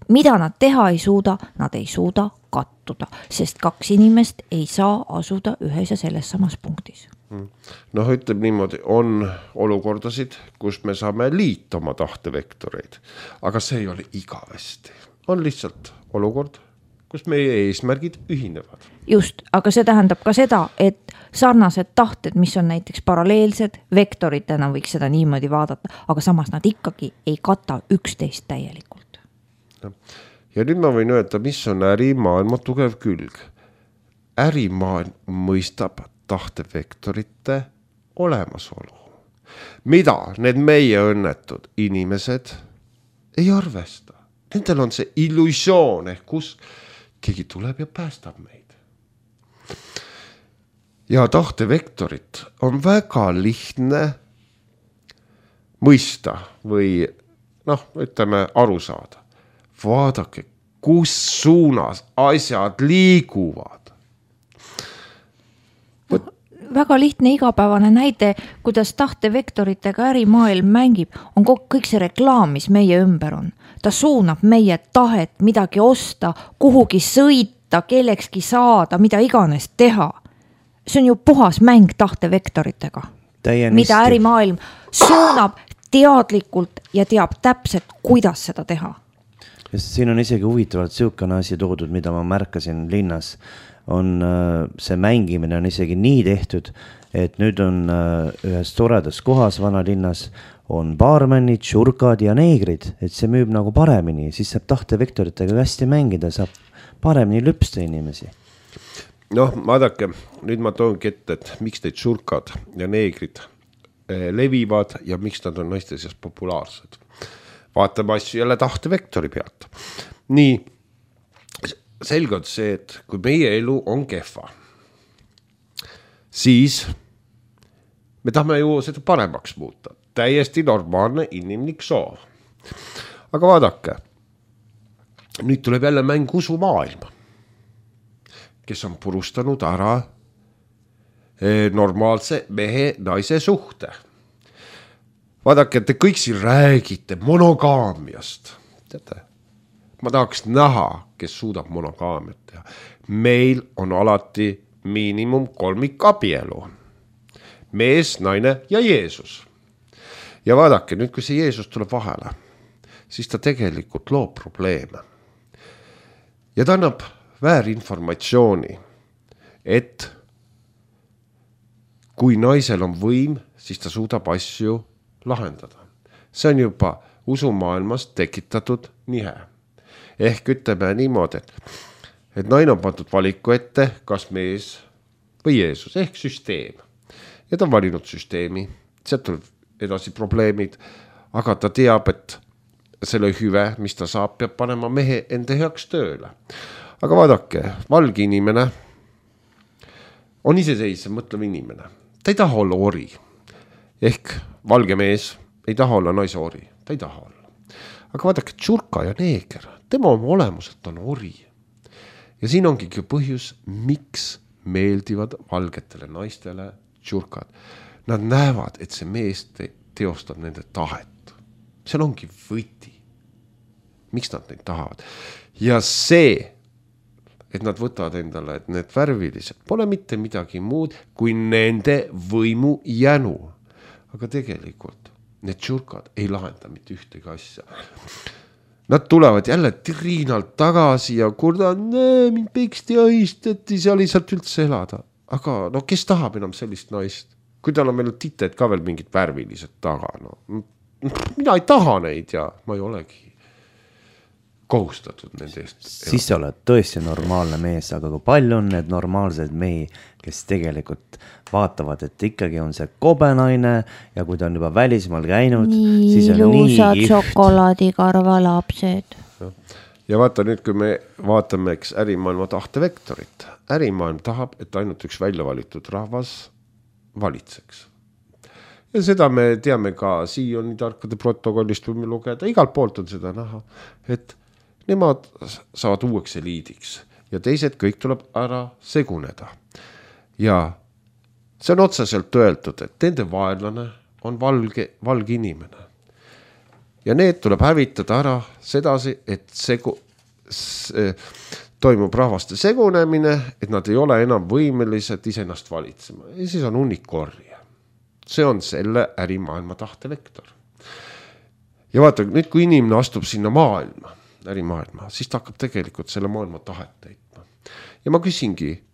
Mida nad teha ei suuda, nad ei suuda kattuda, sest kaks inimest ei saa asuda ühes ja selles samas punktis. Noh, ütleb niimoodi, on olukordasid, kus me saame liita oma tahtevektoreid, aga see ei ole igavesti. On lihtsalt olukord, kus meie eesmärgid ühinevad. Just, aga see tähendab ka seda, et sarnased tahted, mis on näiteks paralleelsed, vektoritena võiks seda niimoodi vaadata, aga samas nad ikkagi ei kata üksteist täielikult. Ja nüüd ma võin öelda, mis on ärimaailma tugev külg. Ärimaailm mõistab tahtevektorite olemasolu. Mida need meie õnnetud inimesed ei arvesta. Nendel on see illusioon, kus keegi tuleb ja päästab meid. Ja tahtevektorit on väga lihtne mõista või ütleme aru saada. Vaadake, kus suunas asjad liiguvad. Väga lihtne igapäevane näide, kuidas tahtevektoritega ärimaailm mängib, on kõik see reklaam, mis meie ümber on. Ta suunab meie tahet midagi osta, kuhugi sõita, kellekski saada, mida iganes teha. See on ju puhas mäng tahtevektoritega, mida ärimaailm suunab teadlikult ja teab täpselt, kuidas seda teha. Ja siin on isegi huvitavalt siukene asi toodud, mida ma märkasin linnas. On see mängimine on isegi nii tehtud, et nüüd on ühes toredas kohas vanalinnas on baarmänid, šurkad ja neegrid, et see müüb nagu paremini, siis saab tahtevektoritega hästi mängida, saab paremini lüpsta inimesi. Vaadake, nüüd ma toongi ette, et miks need šurkad ja neegrid levivad ja miks nad on naiste seas populaarsed. Vaatame asju jälle tahtevektori pealt. Nii, selge on see, et kui meie elu on kehva, siis me tahame ju seda paremaks muuta. Täiesti normaalne inimlik soov. Aga vaadake, nüüd tuleb jälle mäng usumaailma, kes on purustanud ära normaalse mehe naise suhte. Vaadake, te kõik siin räägite monogaamiast. Teate? Ma tahaks näha, kes suudab monogaamiat teha. Meil on alati miinimum 3 abielu. Mees, naine ja Jeesus. Ja vaadake, nüüd kui see Jeesus tuleb vahele, siis ta tegelikult loob probleeme. Ja ta annab väärinformatsiooni, et kui naisel on võim, siis ta suudab asju lahendada. See on juba usumaailmas tekitatud nihe. Ehk ütleme niimoodi, et naine on pandud valiku ette, kas mees või Jeesus, ehk süsteem. Ja ta on valinud süsteemi, sealt tuleb edasi probleemid, aga ta teab, et selle hüve, mis ta saab, peab panema mehe enda heaks tööle. Aga vaadake, valge inimene on iseseisev mõtlev inimene. Ta ei taha olla ori. Ehk valge mees ei taha olla naise ori. Ta ei taha olla. Aga vaadake, tšurka ja neeger, tema oma olemuselt on ori. Ja siin ongi põhjus, miks meeldivad valgetele naistele tšurkad. Nad näevad, et see mees teostab nende tahet. Seal ongi võti. Miks nad neid tahavad? Ja see, et nad võtavad endale, et need värvilised pole mitte midagi muud kui nende võimu jänu. Aga tegelikult need tšurkad ei lahenda mitte ühtegi asja. Nad tulevad jälle Triinalt tagasi ja kurdan, mind peksti ahistati, seal ei saanud üldse elada. Aga kes tahab enam sellist naist? Kui tal on meil tited ka veel mingid värvilised taga. Mina ei taha neid ja ma ei olegi kohustatud nende eest. Siis sa oled tõesti normaalne mees, aga kui palju on need normaalsed mehi, kes tegelikult vaatavad, et ikkagi on see kobenaine ja kui ta on juba välismaal käinud, siis on ilusad šokolaadikarva lapsed. Ja vaata nüüd, kui me vaatame ärimaailma tahtevektorit. Ärimaailm tahab, et ainult üks väljavalitud rahvas valitseks. Ja seda me teame ka Sioni tarkade protokollist võime lugeda. Igalt poolt on seda näha, et nemad saavad uueks eliidiks ja teised kõik tuleb ära seguneda. Ja see on otseselt öeldud, et nende vaenlane on valge inimene. Ja need tuleb hävitada ära sedasi, et toimub rahvaste segunemine, et nad ei ole enam võimelised iseennast valitsema. Ja siis on unikorje. See on selle ärimaailma tahtevektor. Ja vaata, nüüd kui inimene astub sinna maailma, ärimaailma, siis ta hakkab tegelikult selle maailma tahet täitma. Ja ma küsingi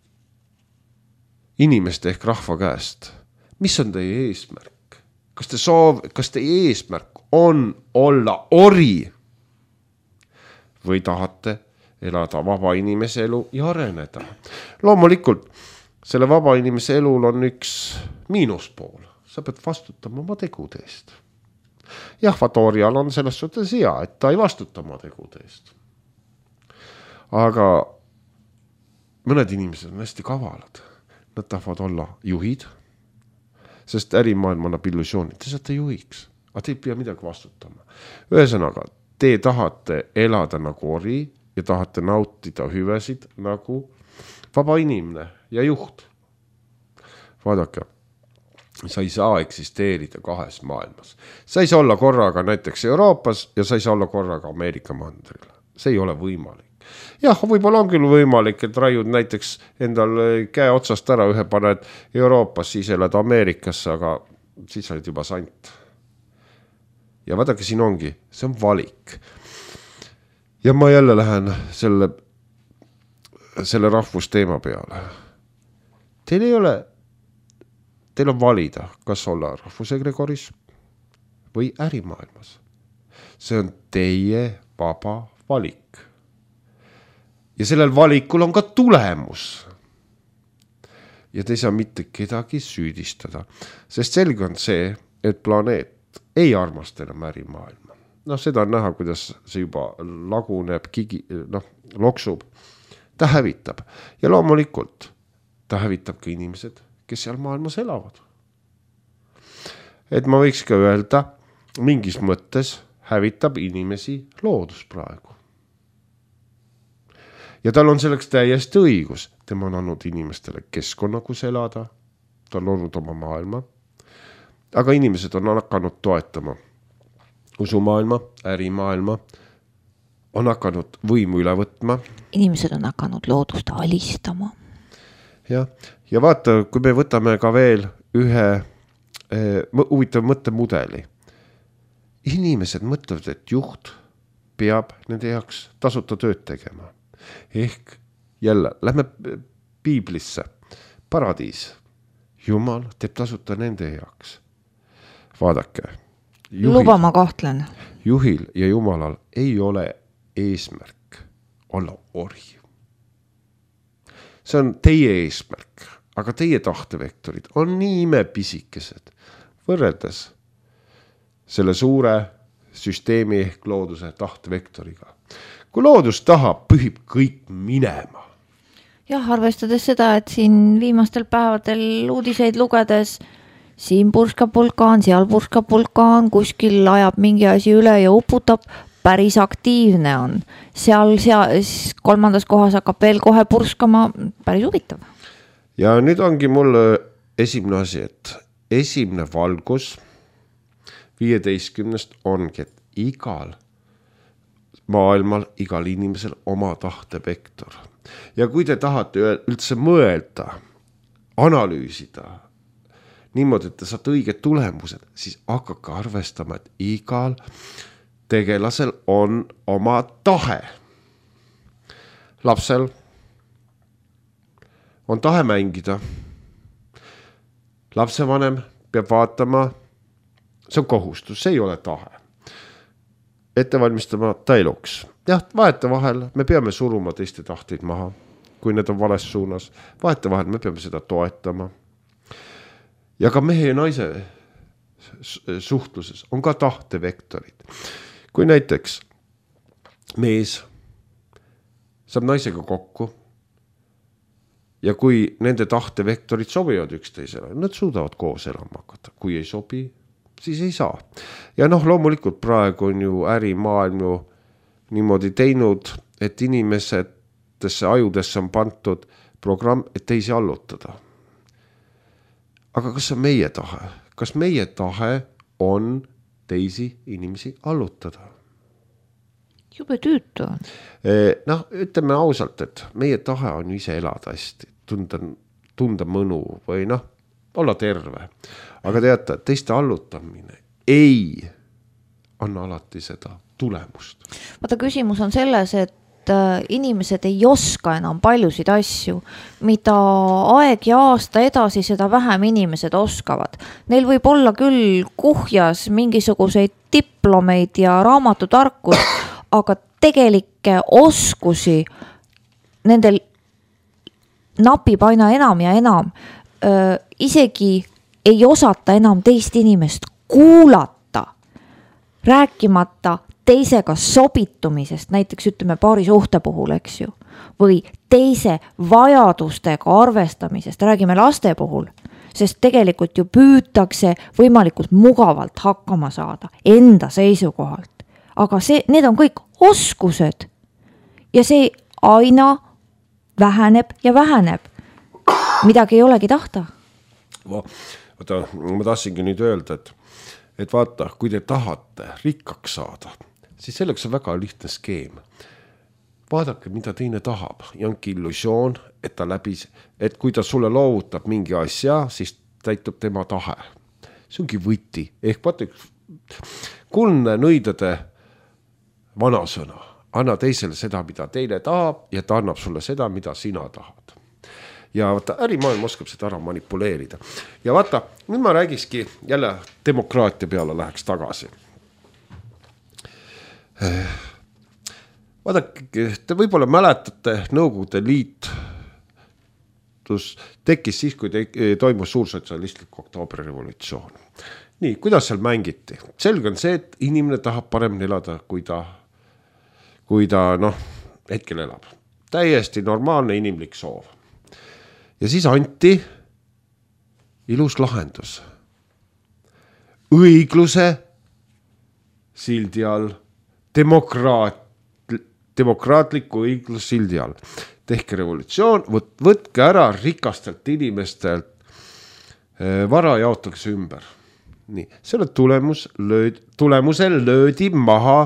inimeste ehk rahva käest, mis on teie eesmärk? Kas teie eesmärk on olla ori või tahate elada vaba inimese elu ja areneda? Loomulikult selle vaba inimese elul on üks miinuspool. Sa pead vastutama oma tegude eest. Jah, Vatorial on selles suhtes hea, et ta ei vastuta oma tegude eest. Aga mõned inimesed on hästi kavalad. Nad tahavad olla juhid, sest ärimaailm annab illusiooni. Te saate juhiks, aga te ei pea midagi vastutama. Ühesõnaga, te tahate elada nagu ori ja tahate nautida hüvesid nagu vaba inimene ja juht. Vaadake, sa ei saa eksisteerida kahes maailmas. Sa ei saa olla korraga näiteks Euroopas ja sa ei saa olla korraga Ameerika mandril. See ei ole võimalik. Jah, võib-olla on küll võimalik, et raiud näiteks endal käe otsast ära, ühe paned Euroopas, siis elad Ameerikasse, aga siis olid juba sant. Ja vaadake, siin ongi, see on valik. Ja ma jälle lähen selle rahvusteema peale. Teil on valida, kas olla rahvusegregoris või ärimaailmas. See on teie vaba valik. Ja sellel valikul on ka tulemus. Ja te ei saa mitte kedagi süüdistada, sest selge on see, et planeet ei armasta enam ärimaailma. Seda on näha, kuidas see juba laguneb, loksub. Ta hävitab. Ja loomulikult ta hävitab ka inimesed, kes seal maailmas elavad. Et ma võiks ka öelda, mingis mõttes hävitab inimesi loodus praegu. Ja tal on selleks täiesti õigus. Tema on andnud inimestele keskkonna, kus elada. Ta on olnud oma maailma. Aga inimesed on hakanud toetama usumaailma, ärimaailma, on hakanud võimu üle võtma. Inimesed on hakanud loodust alistama. Ja vaata, kui me võtame ka veel ühe huvitav mõttemudeli. Inimesed mõtlevad, et juht peab nende jaoks tasuta tööd tegema. Ehk jälle, lähme piiblisse. Paradiis. Jumal teeb tasuta nende jaoks. Vaadake. Luba ma kahtlen. Juhil ja Jumalal ei ole eesmärk olla ori. See on teie eesmärk, aga teie tahtevektorid on nii imepisikesed võrreldes selle suure süsteemi ehk looduse tahtevektoriga. Kui loodus tahab, pühib kõik minema. Jah, arvestades seda, et siin viimastel päevadel uudiseid lugedes siin purskab vulkaan, seal purskab vulkaan, kuskil ajab mingi asi üle ja uputab, päris aktiivne on. Seal kolmandas kohas hakkab veel kohe purskama, päris huvitav. Ja nüüd ongi mul esimene asi, et esimene valgus 15 ongi, et igal maailmal, igal inimesel oma tahtevektor. Ja kui te tahate üldse mõelda, analüüsida, niimoodi, et te saate õiged tulemused, siis hakake arvestama, et igal tegelasel on oma tahe. Lapsel on tahe mängida. Lapsevanem peab vaatama, see on kohustus, see ei ole tahe. Ette valmistama ta eluks. Jah, vahet vahel me peame suruma teiste tahteid maha, kui need on vales suunas. Vahet vahel me peame seda toetama. Ja ka mehe ja naise suhtluses on ka tahtevektorid. Kui näiteks mees saab naisega kokku ja kui nende tahtevektorid sobivad üksteisele, nad suudavad koos elama hakata. Kui ei sobi, siis ei saa. Ja loomulikult praegu on ju ärimaailm ju niimoodi teinud, et inimesetesse ajudesse on pantud programm, et teisi allutada. Aga kas see on meie tahe? Kas meie tahe on teisi inimesi allutada? Jube tüütu on. Ütleme ausalt, et meie tahe on ise elada hästi, tunda mõnu või olla terve. Aga teate, teiste allutamine ei anna alati seda tulemust. Vaata, küsimus on selles, et inimesed ei oska enam paljusid asju, mida aeg ja aasta edasi, seda vähem inimesed oskavad. Neil võib olla küll kuhjas mingisuguseid diplomeid ja raamatutarkus, aga tegelikke oskusi nendel napib aina enam ja enam. Isegi ei osata enam teist inimest kuulata, rääkimata teisega sobitumisest, näiteks ütleme paari suhte puhul, eks ju, või teise vajadustega arvestamisest, räägime laste puhul, sest tegelikult ju püütakse võimalikult mugavalt hakkama saada enda seisukohalt. Aga need on kõik oskused ja see aina väheneb ja väheneb. Midagi ei olegi tahta. Vaata, ma tahtsingi nüüd öelda, et vaata, kui te tahate rikkaks saada, siis selleks on väga lihtne skeem. Vaadake, mida teine tahab ja onki illusioon, et kui ta sulle loovutab mingi asja, siis täitub tema tahe. See ongi võti. Ehk vaata, kuldne nõidade vanasõna. Anna teisele seda, mida teine tahab ja ta annab sulle seda, mida sina tahad. Ja vaata, ärimaailm oskab seda ära manipuleerida. Ja vaata, nüüd ma räägikski jälle demokraatia peale läheks tagasi. Vaadake, te võib-olla mäletate, Nõukogude Liit tekkis siis, kui toimus suursotsialistlik oktoobrirevolutsioon. Nii, kuidas seal mängiti? Selge on see, et inimene tahab paremini elada, kui ta hetkel elab. Täiesti normaalne inimlik soov. Ja siis anti ilus lahendus. Õigluse sildi all, demokraatliku õiglus sildi all. Tehke revolutsioon, võtke ära rikastelt inimestelt, vara jaotakse ümber. Nii, selle tulemusel löödi maha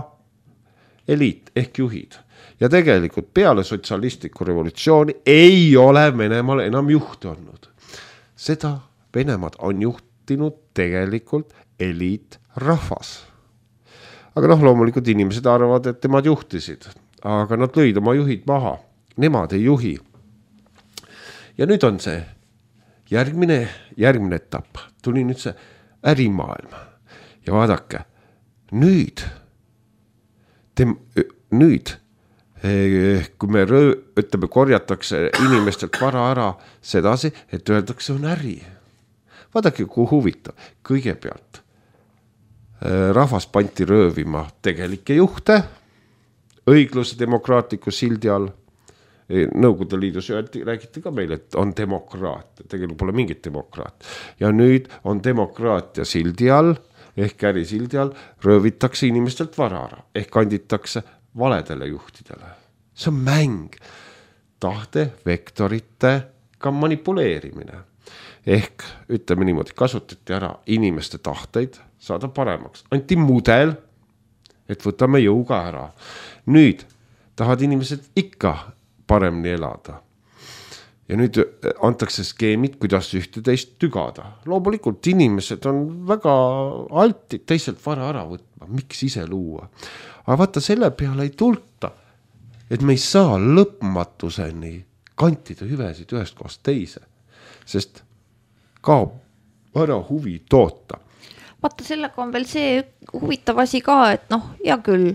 eliit ehk juhid. Ja tegelikult peale sotsialistliku revolutsiooni ei ole Venemaal enam juhti olnud. Seda Venemaad on juhtinud tegelikult eliitrahvas. Aga loomulikult inimesed arvavad, et nemad juhtisid, aga nad lõid oma juhid maha. Nemad ei juhi. Ja nüüd on see järgmine etapp. Tuli nüüd see ärimaailm. Ja vaadake, nüüd, kui me korjatakse inimestelt vara ära sedasi, et öeldakse on äri. Vaadake, kui huvitav. Kõigepealt rahvas panti röövima tegelikke juhte, õigluse demokraatliku sildi all. Nõukogude Liidus räägiti ka meile, et on demokraat, tegelikult pole mingit demokraat. Ja nüüd on demokraatia sildi all, ehk äri sildi all, röövitakse inimestelt vara ära, ehk kanditakse valedele juhtidele. See on mäng, tahte, vektoritega manipuleerimine. Ehk ütleme niimoodi, kasutati ära inimeste tahteid saada paremaks. Anti mudel, et võtame jõuga ära. Nüüd tahad inimesed ikka paremini elada. Ja nüüd antakse skeemid, kuidas ühte teist tügada. Loomulikult inimesed on väga altid teiselt vara ära võtma. Miks ise luua? Aga vaata, selle peale ei tulta, et me ei saa lõpmatuseni kantida hüvesid ühest kohast teise, sest kaob ära huvi toota. Vaata, sellega on veel see huvitav asi ka, et hea küll,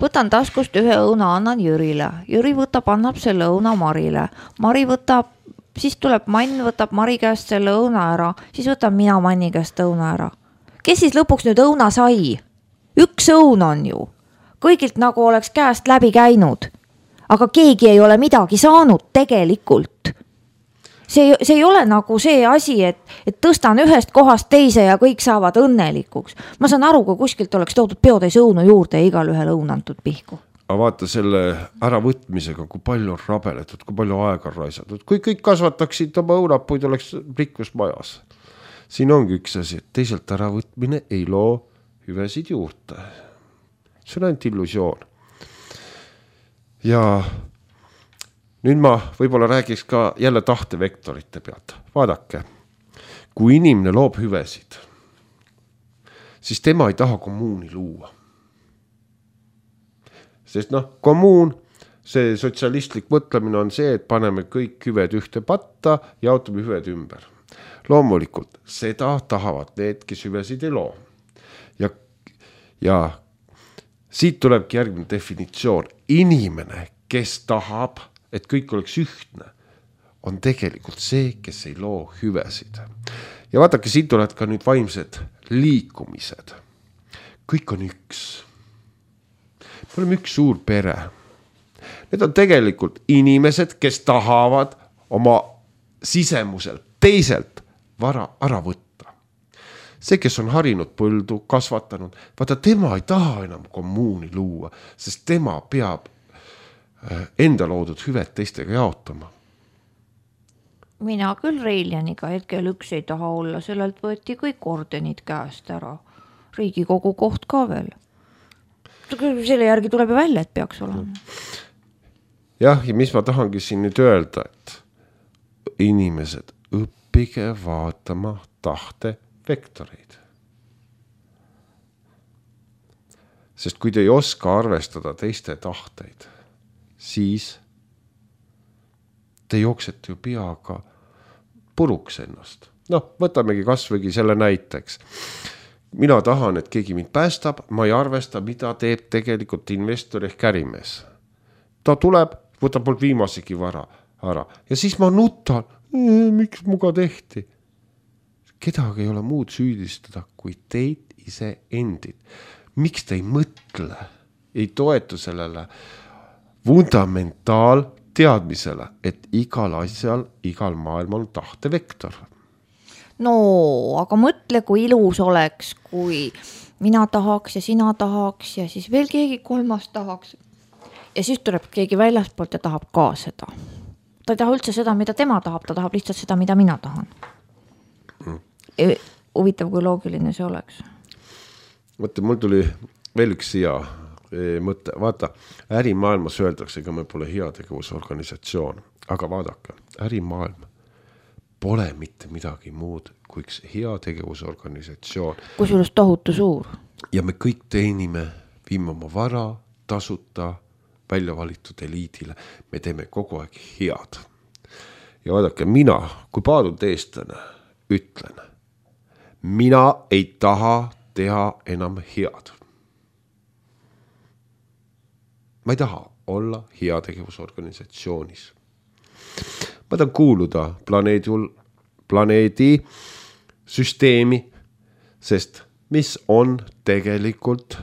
võtan taskust ühe õuna, annan Jürile. Jüri võtab, annab selle õuna Marile. Mari võtab, siis tuleb Mann, võtab Mari käest selle õuna ära, siis võtab mina Manni käest õuna ära. Kes siis lõpuks nüüd õuna sai? Üks õun on ju. Kõigilt nagu oleks käest läbi käinud. Aga keegi ei ole midagi saanud tegelikult. See ei ole nagu see asi, et tõstan ühest kohast teise ja kõik saavad õnnelikuks. Ma saan aru, kui kuskilt oleks toodud peotäis õunu juurde ja igal ühel õun antud pihku. Aga vaata selle äravõtmisega, kui palju on rabeletud, kui palju aega raisatud. Kui kõik kasvataksid oma õunapuid, oleks rikkus majas. Siin ongi üks asi, et teiselt äravõtmine ei loo hüvesid juurde. See on ainult illusioon. Ja nüüd ma võib-olla räägiks ka jälle tahtevektorite pealt. Vaadake, kui inimene loob hüvesid, siis tema ei taha kommuuni luua. sest kommuun, see sotsialistlik mõtlemine on see, et paneme kõik hüved ühte patta, jaotame hüved ümber. Loomulikult seda tahavad need, kes hüvesid ei loo. Ja siit tulebki järgmine definitsioon. Inimene, kes tahab, et kõik oleks ühtne, on tegelikult see, kes ei loo hüvesid. Ja vaadake, siit tulevad ka nüüd vaimsed liikumised. Kõik on üks. Me oleme üks suur pere. Need on tegelikult inimesed, kes tahavad oma sisemuselt, teiselt vara ära võtta. See, kes on harinud põldu, kasvatanud, vaata tema ei taha enam kommuuni luua, sest tema peab enda loodud hüved teistega jaotama. Mina küll Reiljaniga hetkel üks ei taha olla, sellelt võeti kõik ordenid käest ära. Riigikogu koht ka veel. Selle järgi tuleb ju välja, et peaks olema. Jah, ja mis ma tahangi siin nüüd öelda, et inimesed õppige vaatama tahte vektoreid. Sest kui te ei oska arvestada teiste tahteid, siis te jooksete ju peaga puruks ennast. Võtamegi kasvõigi selle näiteks. Mina tahan, et keegi mind päästab, ma ei arvesta, mida teeb tegelikult investor ehk ärimees. Ta tuleb, võtab mul viimasegi vara ära ja siis ma nutan, miks muga tehti. Kedagi ei ole muud süüdistada kui teid ise endid. Miks te ei mõtle, ei toetu sellele fundamentaal teadmisele, et igal asjal, igal maailmal on tahtevektor. No, aga mõtle, kui ilus oleks, kui mina tahaks ja sina tahaks ja siis veel keegi kolmas tahaks. Ja siis tuleb keegi väljaspoolt ja tahab ka seda. Ta ei taha üldse seda, mida tema tahab, ta tahab lihtsalt seda, mida mina tahan. Huvitav, kui loogiline see oleks. Vaata, mul tuli veel üks hea mõte. Vaata, ärimaailmas öeldakse, ega me pole heategevusorganisatsioon. Aga vaadake, ärimaailm pole mitte midagi muud kui üks heategevusorganisatsioon. Kusjuures tohutu suur. Ja me kõik teenime, viime oma vara, tasuta, välja valitud eliidile. Me teeme kogu aeg head. Ja vaadake, mina, kui paadud eestlane, ütlen, mina ei taha teha enam head. Ma ei taha olla heategevusorganisatsioonis. Ma tahan kuuluda planeedi süsteemi, sest mis on tegelikult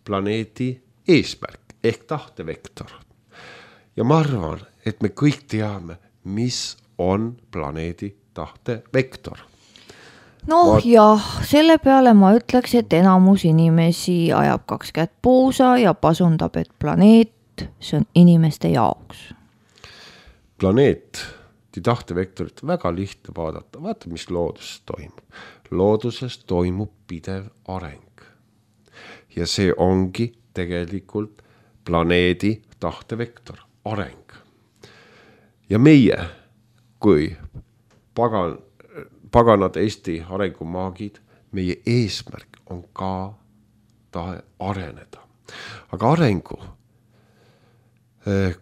planeedi eesmärk ehk tahtevektor. Ja ma arvan, et me kõik teame, mis on planeedi tahtevektor. Jah, selle peale ma ütleks, et enamus inimesi ajab 2 kätt puusa ja pasundab, et planeet, see on inimeste jaoks. Planeet, tahtevektorit väga lihtne vaadata. Vaata, mis looduses toimub. Looduses toimub pidev areng. Ja see ongi tegelikult planeedi tahtevektor, areng. Ja meie, kui paganad Eesti arengumaagid, meie eesmärk on ka tahe areneda. Aga arengu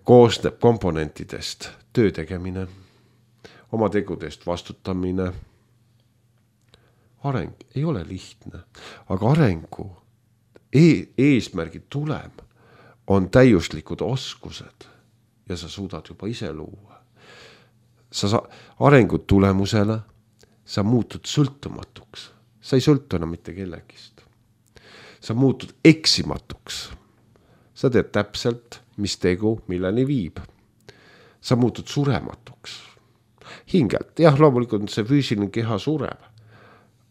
koosneb komponentidest töö tegemine, oma tegudest vastutamine. Areng ei ole lihtne, aga arengu eesmärgi tulem on täiuslikud oskused ja sa suudad juba ise luua. Arengu tulemusele sa muutud sõltumatuks. Sa ei sõltu enam mitte kellegist. Sa muutud eksimatuks. Sa teed täpselt, mis tegu milleni viib. Sa muutud surematuks. Hingelt, jah, loomulikult see füüsiline keha sureb,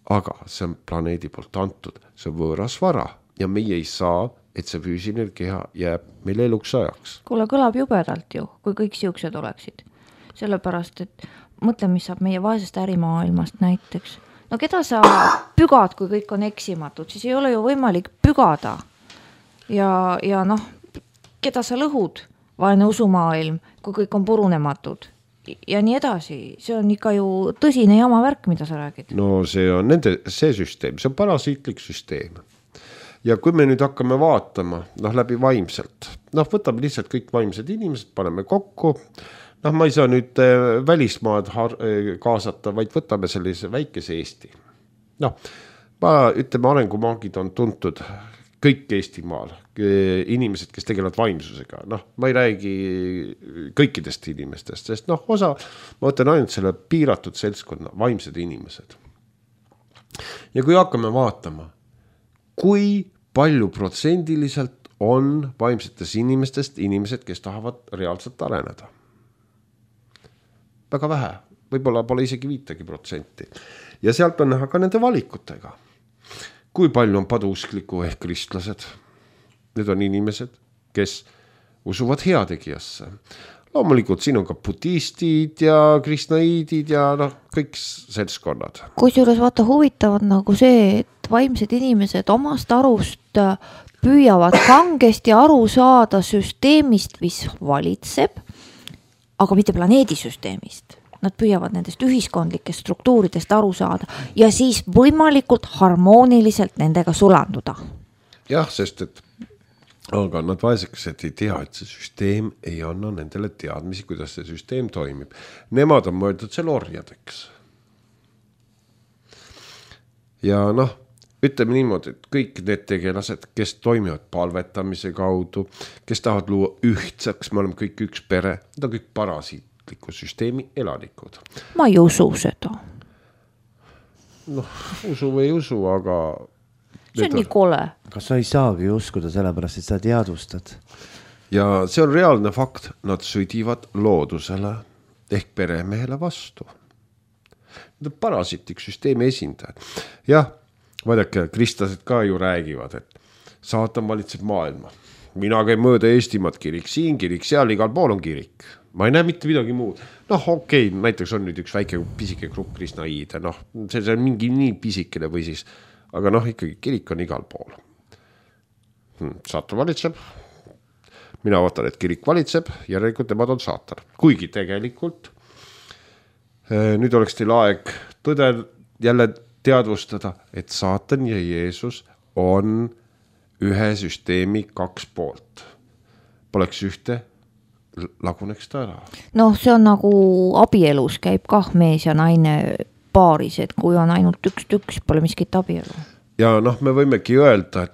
aga see on planeedi poolt antud, see on võõras vara ja meie ei saa, et see füüsiline keha jääb meil eluks ajaks. Kuule, kõlab jubedalt ju, kui kõik siuksed oleksid. Sellepärast, et mõtle, mis saab meie vaesest ärimaailmast näiteks. No keda sa pügad, kui kõik on eksimatud, siis ei ole ju võimalik pügada. Ja keda sa lõhud, vaene usumaailm, kui kõik on purunematud. Ja nii edasi, see on ikka ju tõsine jama värk, mida sa räägid. No see on see süsteem, see on parasiitlik süsteem. ja kui me nüüd hakkame vaatama, läbi vaimselt, võtame lihtsalt kõik vaimsed inimesed, paneme kokku, ma ei saa nüüd välismaad kaasata, vaid võtame sellise väikese Eesti. Ütleme, arengumaagid on tuntud kõik Eestimaal, inimesed, kes tegelevad vaimsusega, ma ei räägi kõikidest inimestest, sest ma võtan ainult selle piiratud seltskonna, vaimsed inimesed. Ja kui hakkame vaatama, kui palju protsendiliselt on vaimsetes inimestest inimesed, kes tahavad reaalselt areneda. Väga vähe, võib-olla pole isegi 5%. Ja sealt on näha ka nende valikutega. Kui palju on paduuskliku ehk kristlased? Need on inimesed, kes usuvad heategijasse. Loomulikult siin on ka budistid ja kristnaiidid ja kõik seltskonnad. Kusjuures vaata huvitavad nagu see, et vaimsed inimesed omast arust püüavad kangesti aru saada süsteemist, mis valitseb, aga mitte planeedisüsteemist. Nad püüavad nendest ühiskondlikest struktuuridest aru saada ja siis võimalikult harmooniliselt nendega sulanduda. Jah, sest aga nad vaesekesed ei tea, et see süsteem ei anna nendele teadmisi, kuidas see süsteem toimib. Nemad on mõeldud seal orjadeks. Ja ütleme niimoodi, et kõik need tegelased, kes toimivad palvetamise kaudu, kes tahavad luua ühtsaks, me oleme kõik üks pere, need on kõik parasiitliku süsteemi elanikud. Ma ei usu seda. Usu või ei usu, aga see on nii kole. Kas sa ei saagi uskuda sellepärast, et sa teadvustad? Ja see on reaalne fakt. Nad sõdivad loodusele ehk peremehele vastu. Need on parasiitlik süsteemi esindajad. Jah, vaadake, kristlased ka ju räägivad, et saatan valitseb maailma. Mina käin mööda Eestimaad, kirik siin, kirik seal, igal pool on kirik. Ma ei näe mitte midagi muud. Okei, näiteks on nüüd üks väike pisike grupp kristnaiide. See on mingi nii pisikene või siis aga ikkagi kirik on igal pool. Saatan valitseb. Mina vaatan, et kirik valitseb, järelikult nemad on saatan. Kuigi tegelikult nüüd oleks teil aeg tõde jälle teadvustada, et saatan ja Jeesus on ühe süsteemi 2 poolt. Poleks ühte, laguneks ta ära. See on nagu abielus käib kah mees ja naine paaris, et kui on ainult üks, pole miskit abielu. Ja me võimegi öelda,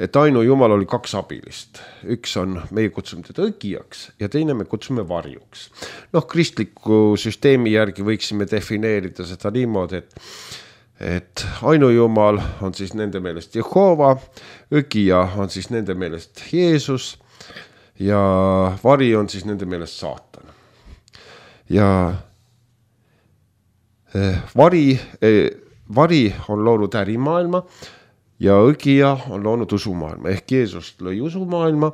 et ainu Jumal oli 2 abilist. Üks on, meie kutsume teda õgijaks ja teine me kutsume varjuks. Kristliku süsteemi järgi võiksime defineerida seda niimoodi, et ainu Jumal on siis nende meelest Jehova, õgija on siis nende meelest Jeesus ja vari on siis nende meelest saatan. Ja vari on loonud ärimaailma ja õgija on loonud usumaailma. Ehk Jeesus lõi usumaailma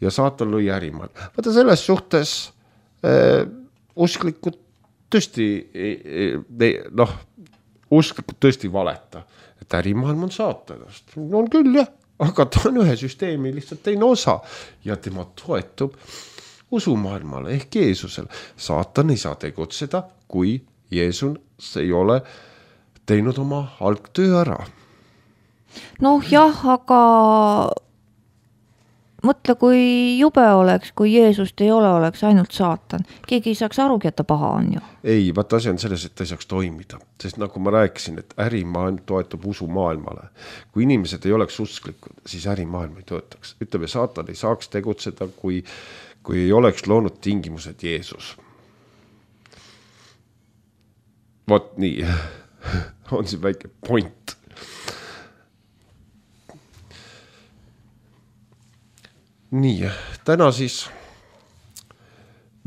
ja saatan lõi ärimaailma. Vaata selles suhtes usklikud tõesti usklikud tõesti valeta, et ärimaailm on saatanast. On küll jah, aga ta on ühe süsteemi lihtsalt teine osa ja tema toetub usumaailmale ehk Jeesusele. Saatan ei saa tegutseda, kui Jeesus ei ole teinud oma algtöö ära. Jah, aga mõtle, kui jube oleks, kui Jeesust ei oleks ainult saatan. Keegi ei saaks arugi, et ta paha on ju. Ei, vaata asi on selles, et ta ei saaks toimida. Sest nagu ma rääkisin, et ärimaailm toetub usumaailmale. Kui inimesed ei oleks usklikud, siis ärimaailm ei töötaks. Ütleme, saatan ei saaks tegutseda, kui ei oleks loonud tingimused Jeesus. Vot nii, on siin väike point. Nii, täna siis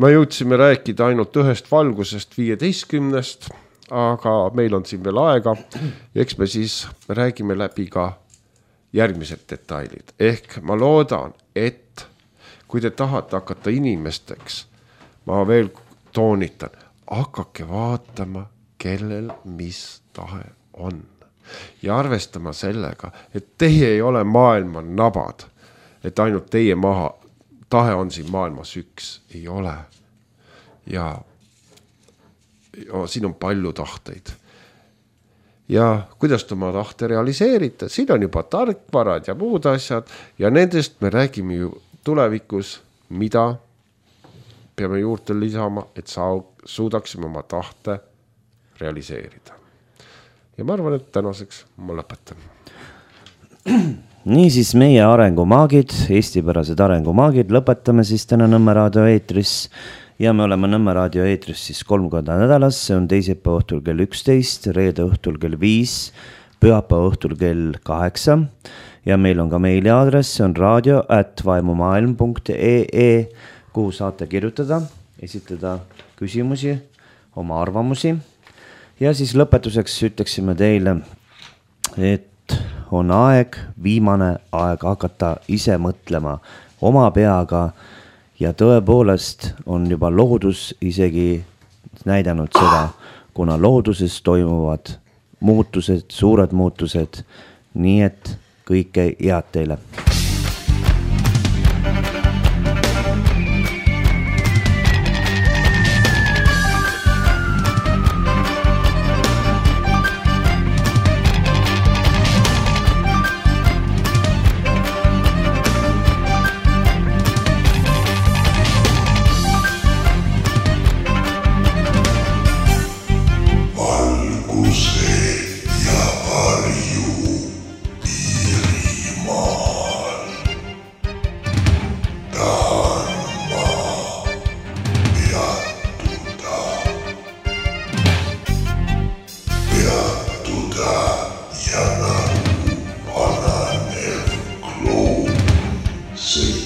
me jõudsime rääkida ainult ühest valgusest 15, aga meil on siin veel aega ja eks me siis räägime läbi ka järgmised detailid. Ehk ma loodan, et kui te tahate hakata inimesteks, ma veel toonitan, hakake vaatama, kellel mis tahe on. Ja arvestama sellega, et teie ei ole maailma nabad, et ainult teie tahe on siin maailmas üks, ei ole. Ja siin on palju tahteid. ja kuidas te oma tahte realiseerite. Siin on juba tarkvarad ja muud asjad ja nendest me räägime ju tulevikus, mida peame juurde lisama, et suudaksime oma tahte realiseerida. Ja ma arvan, et tänaseks ma lõpetan. Niisiis meie arengumaagid, eestipärased arengumaagid, lõpetame siis täna Nõmme raadio eetris ja me oleme Nõmme raadio eetris siis 3 korda nädalas, see on teisipäeva õhtul kell 11, reede õhtul kell 5, pühapäeva õhtul kell 8 ja meil on ka meiliaadress, see on radio@vaimumaailm.ee, kuhu saate kirjutada, esitada küsimusi, oma arvamusi ja siis lõpetuseks ütleksime teile, et on aeg, viimane aeg hakata ise mõtlema oma peaga ja tõepoolest on juba loodus isegi näidanud seda, kuna looduses toimuvad muutused, suured muutused, nii et kõike head teile. See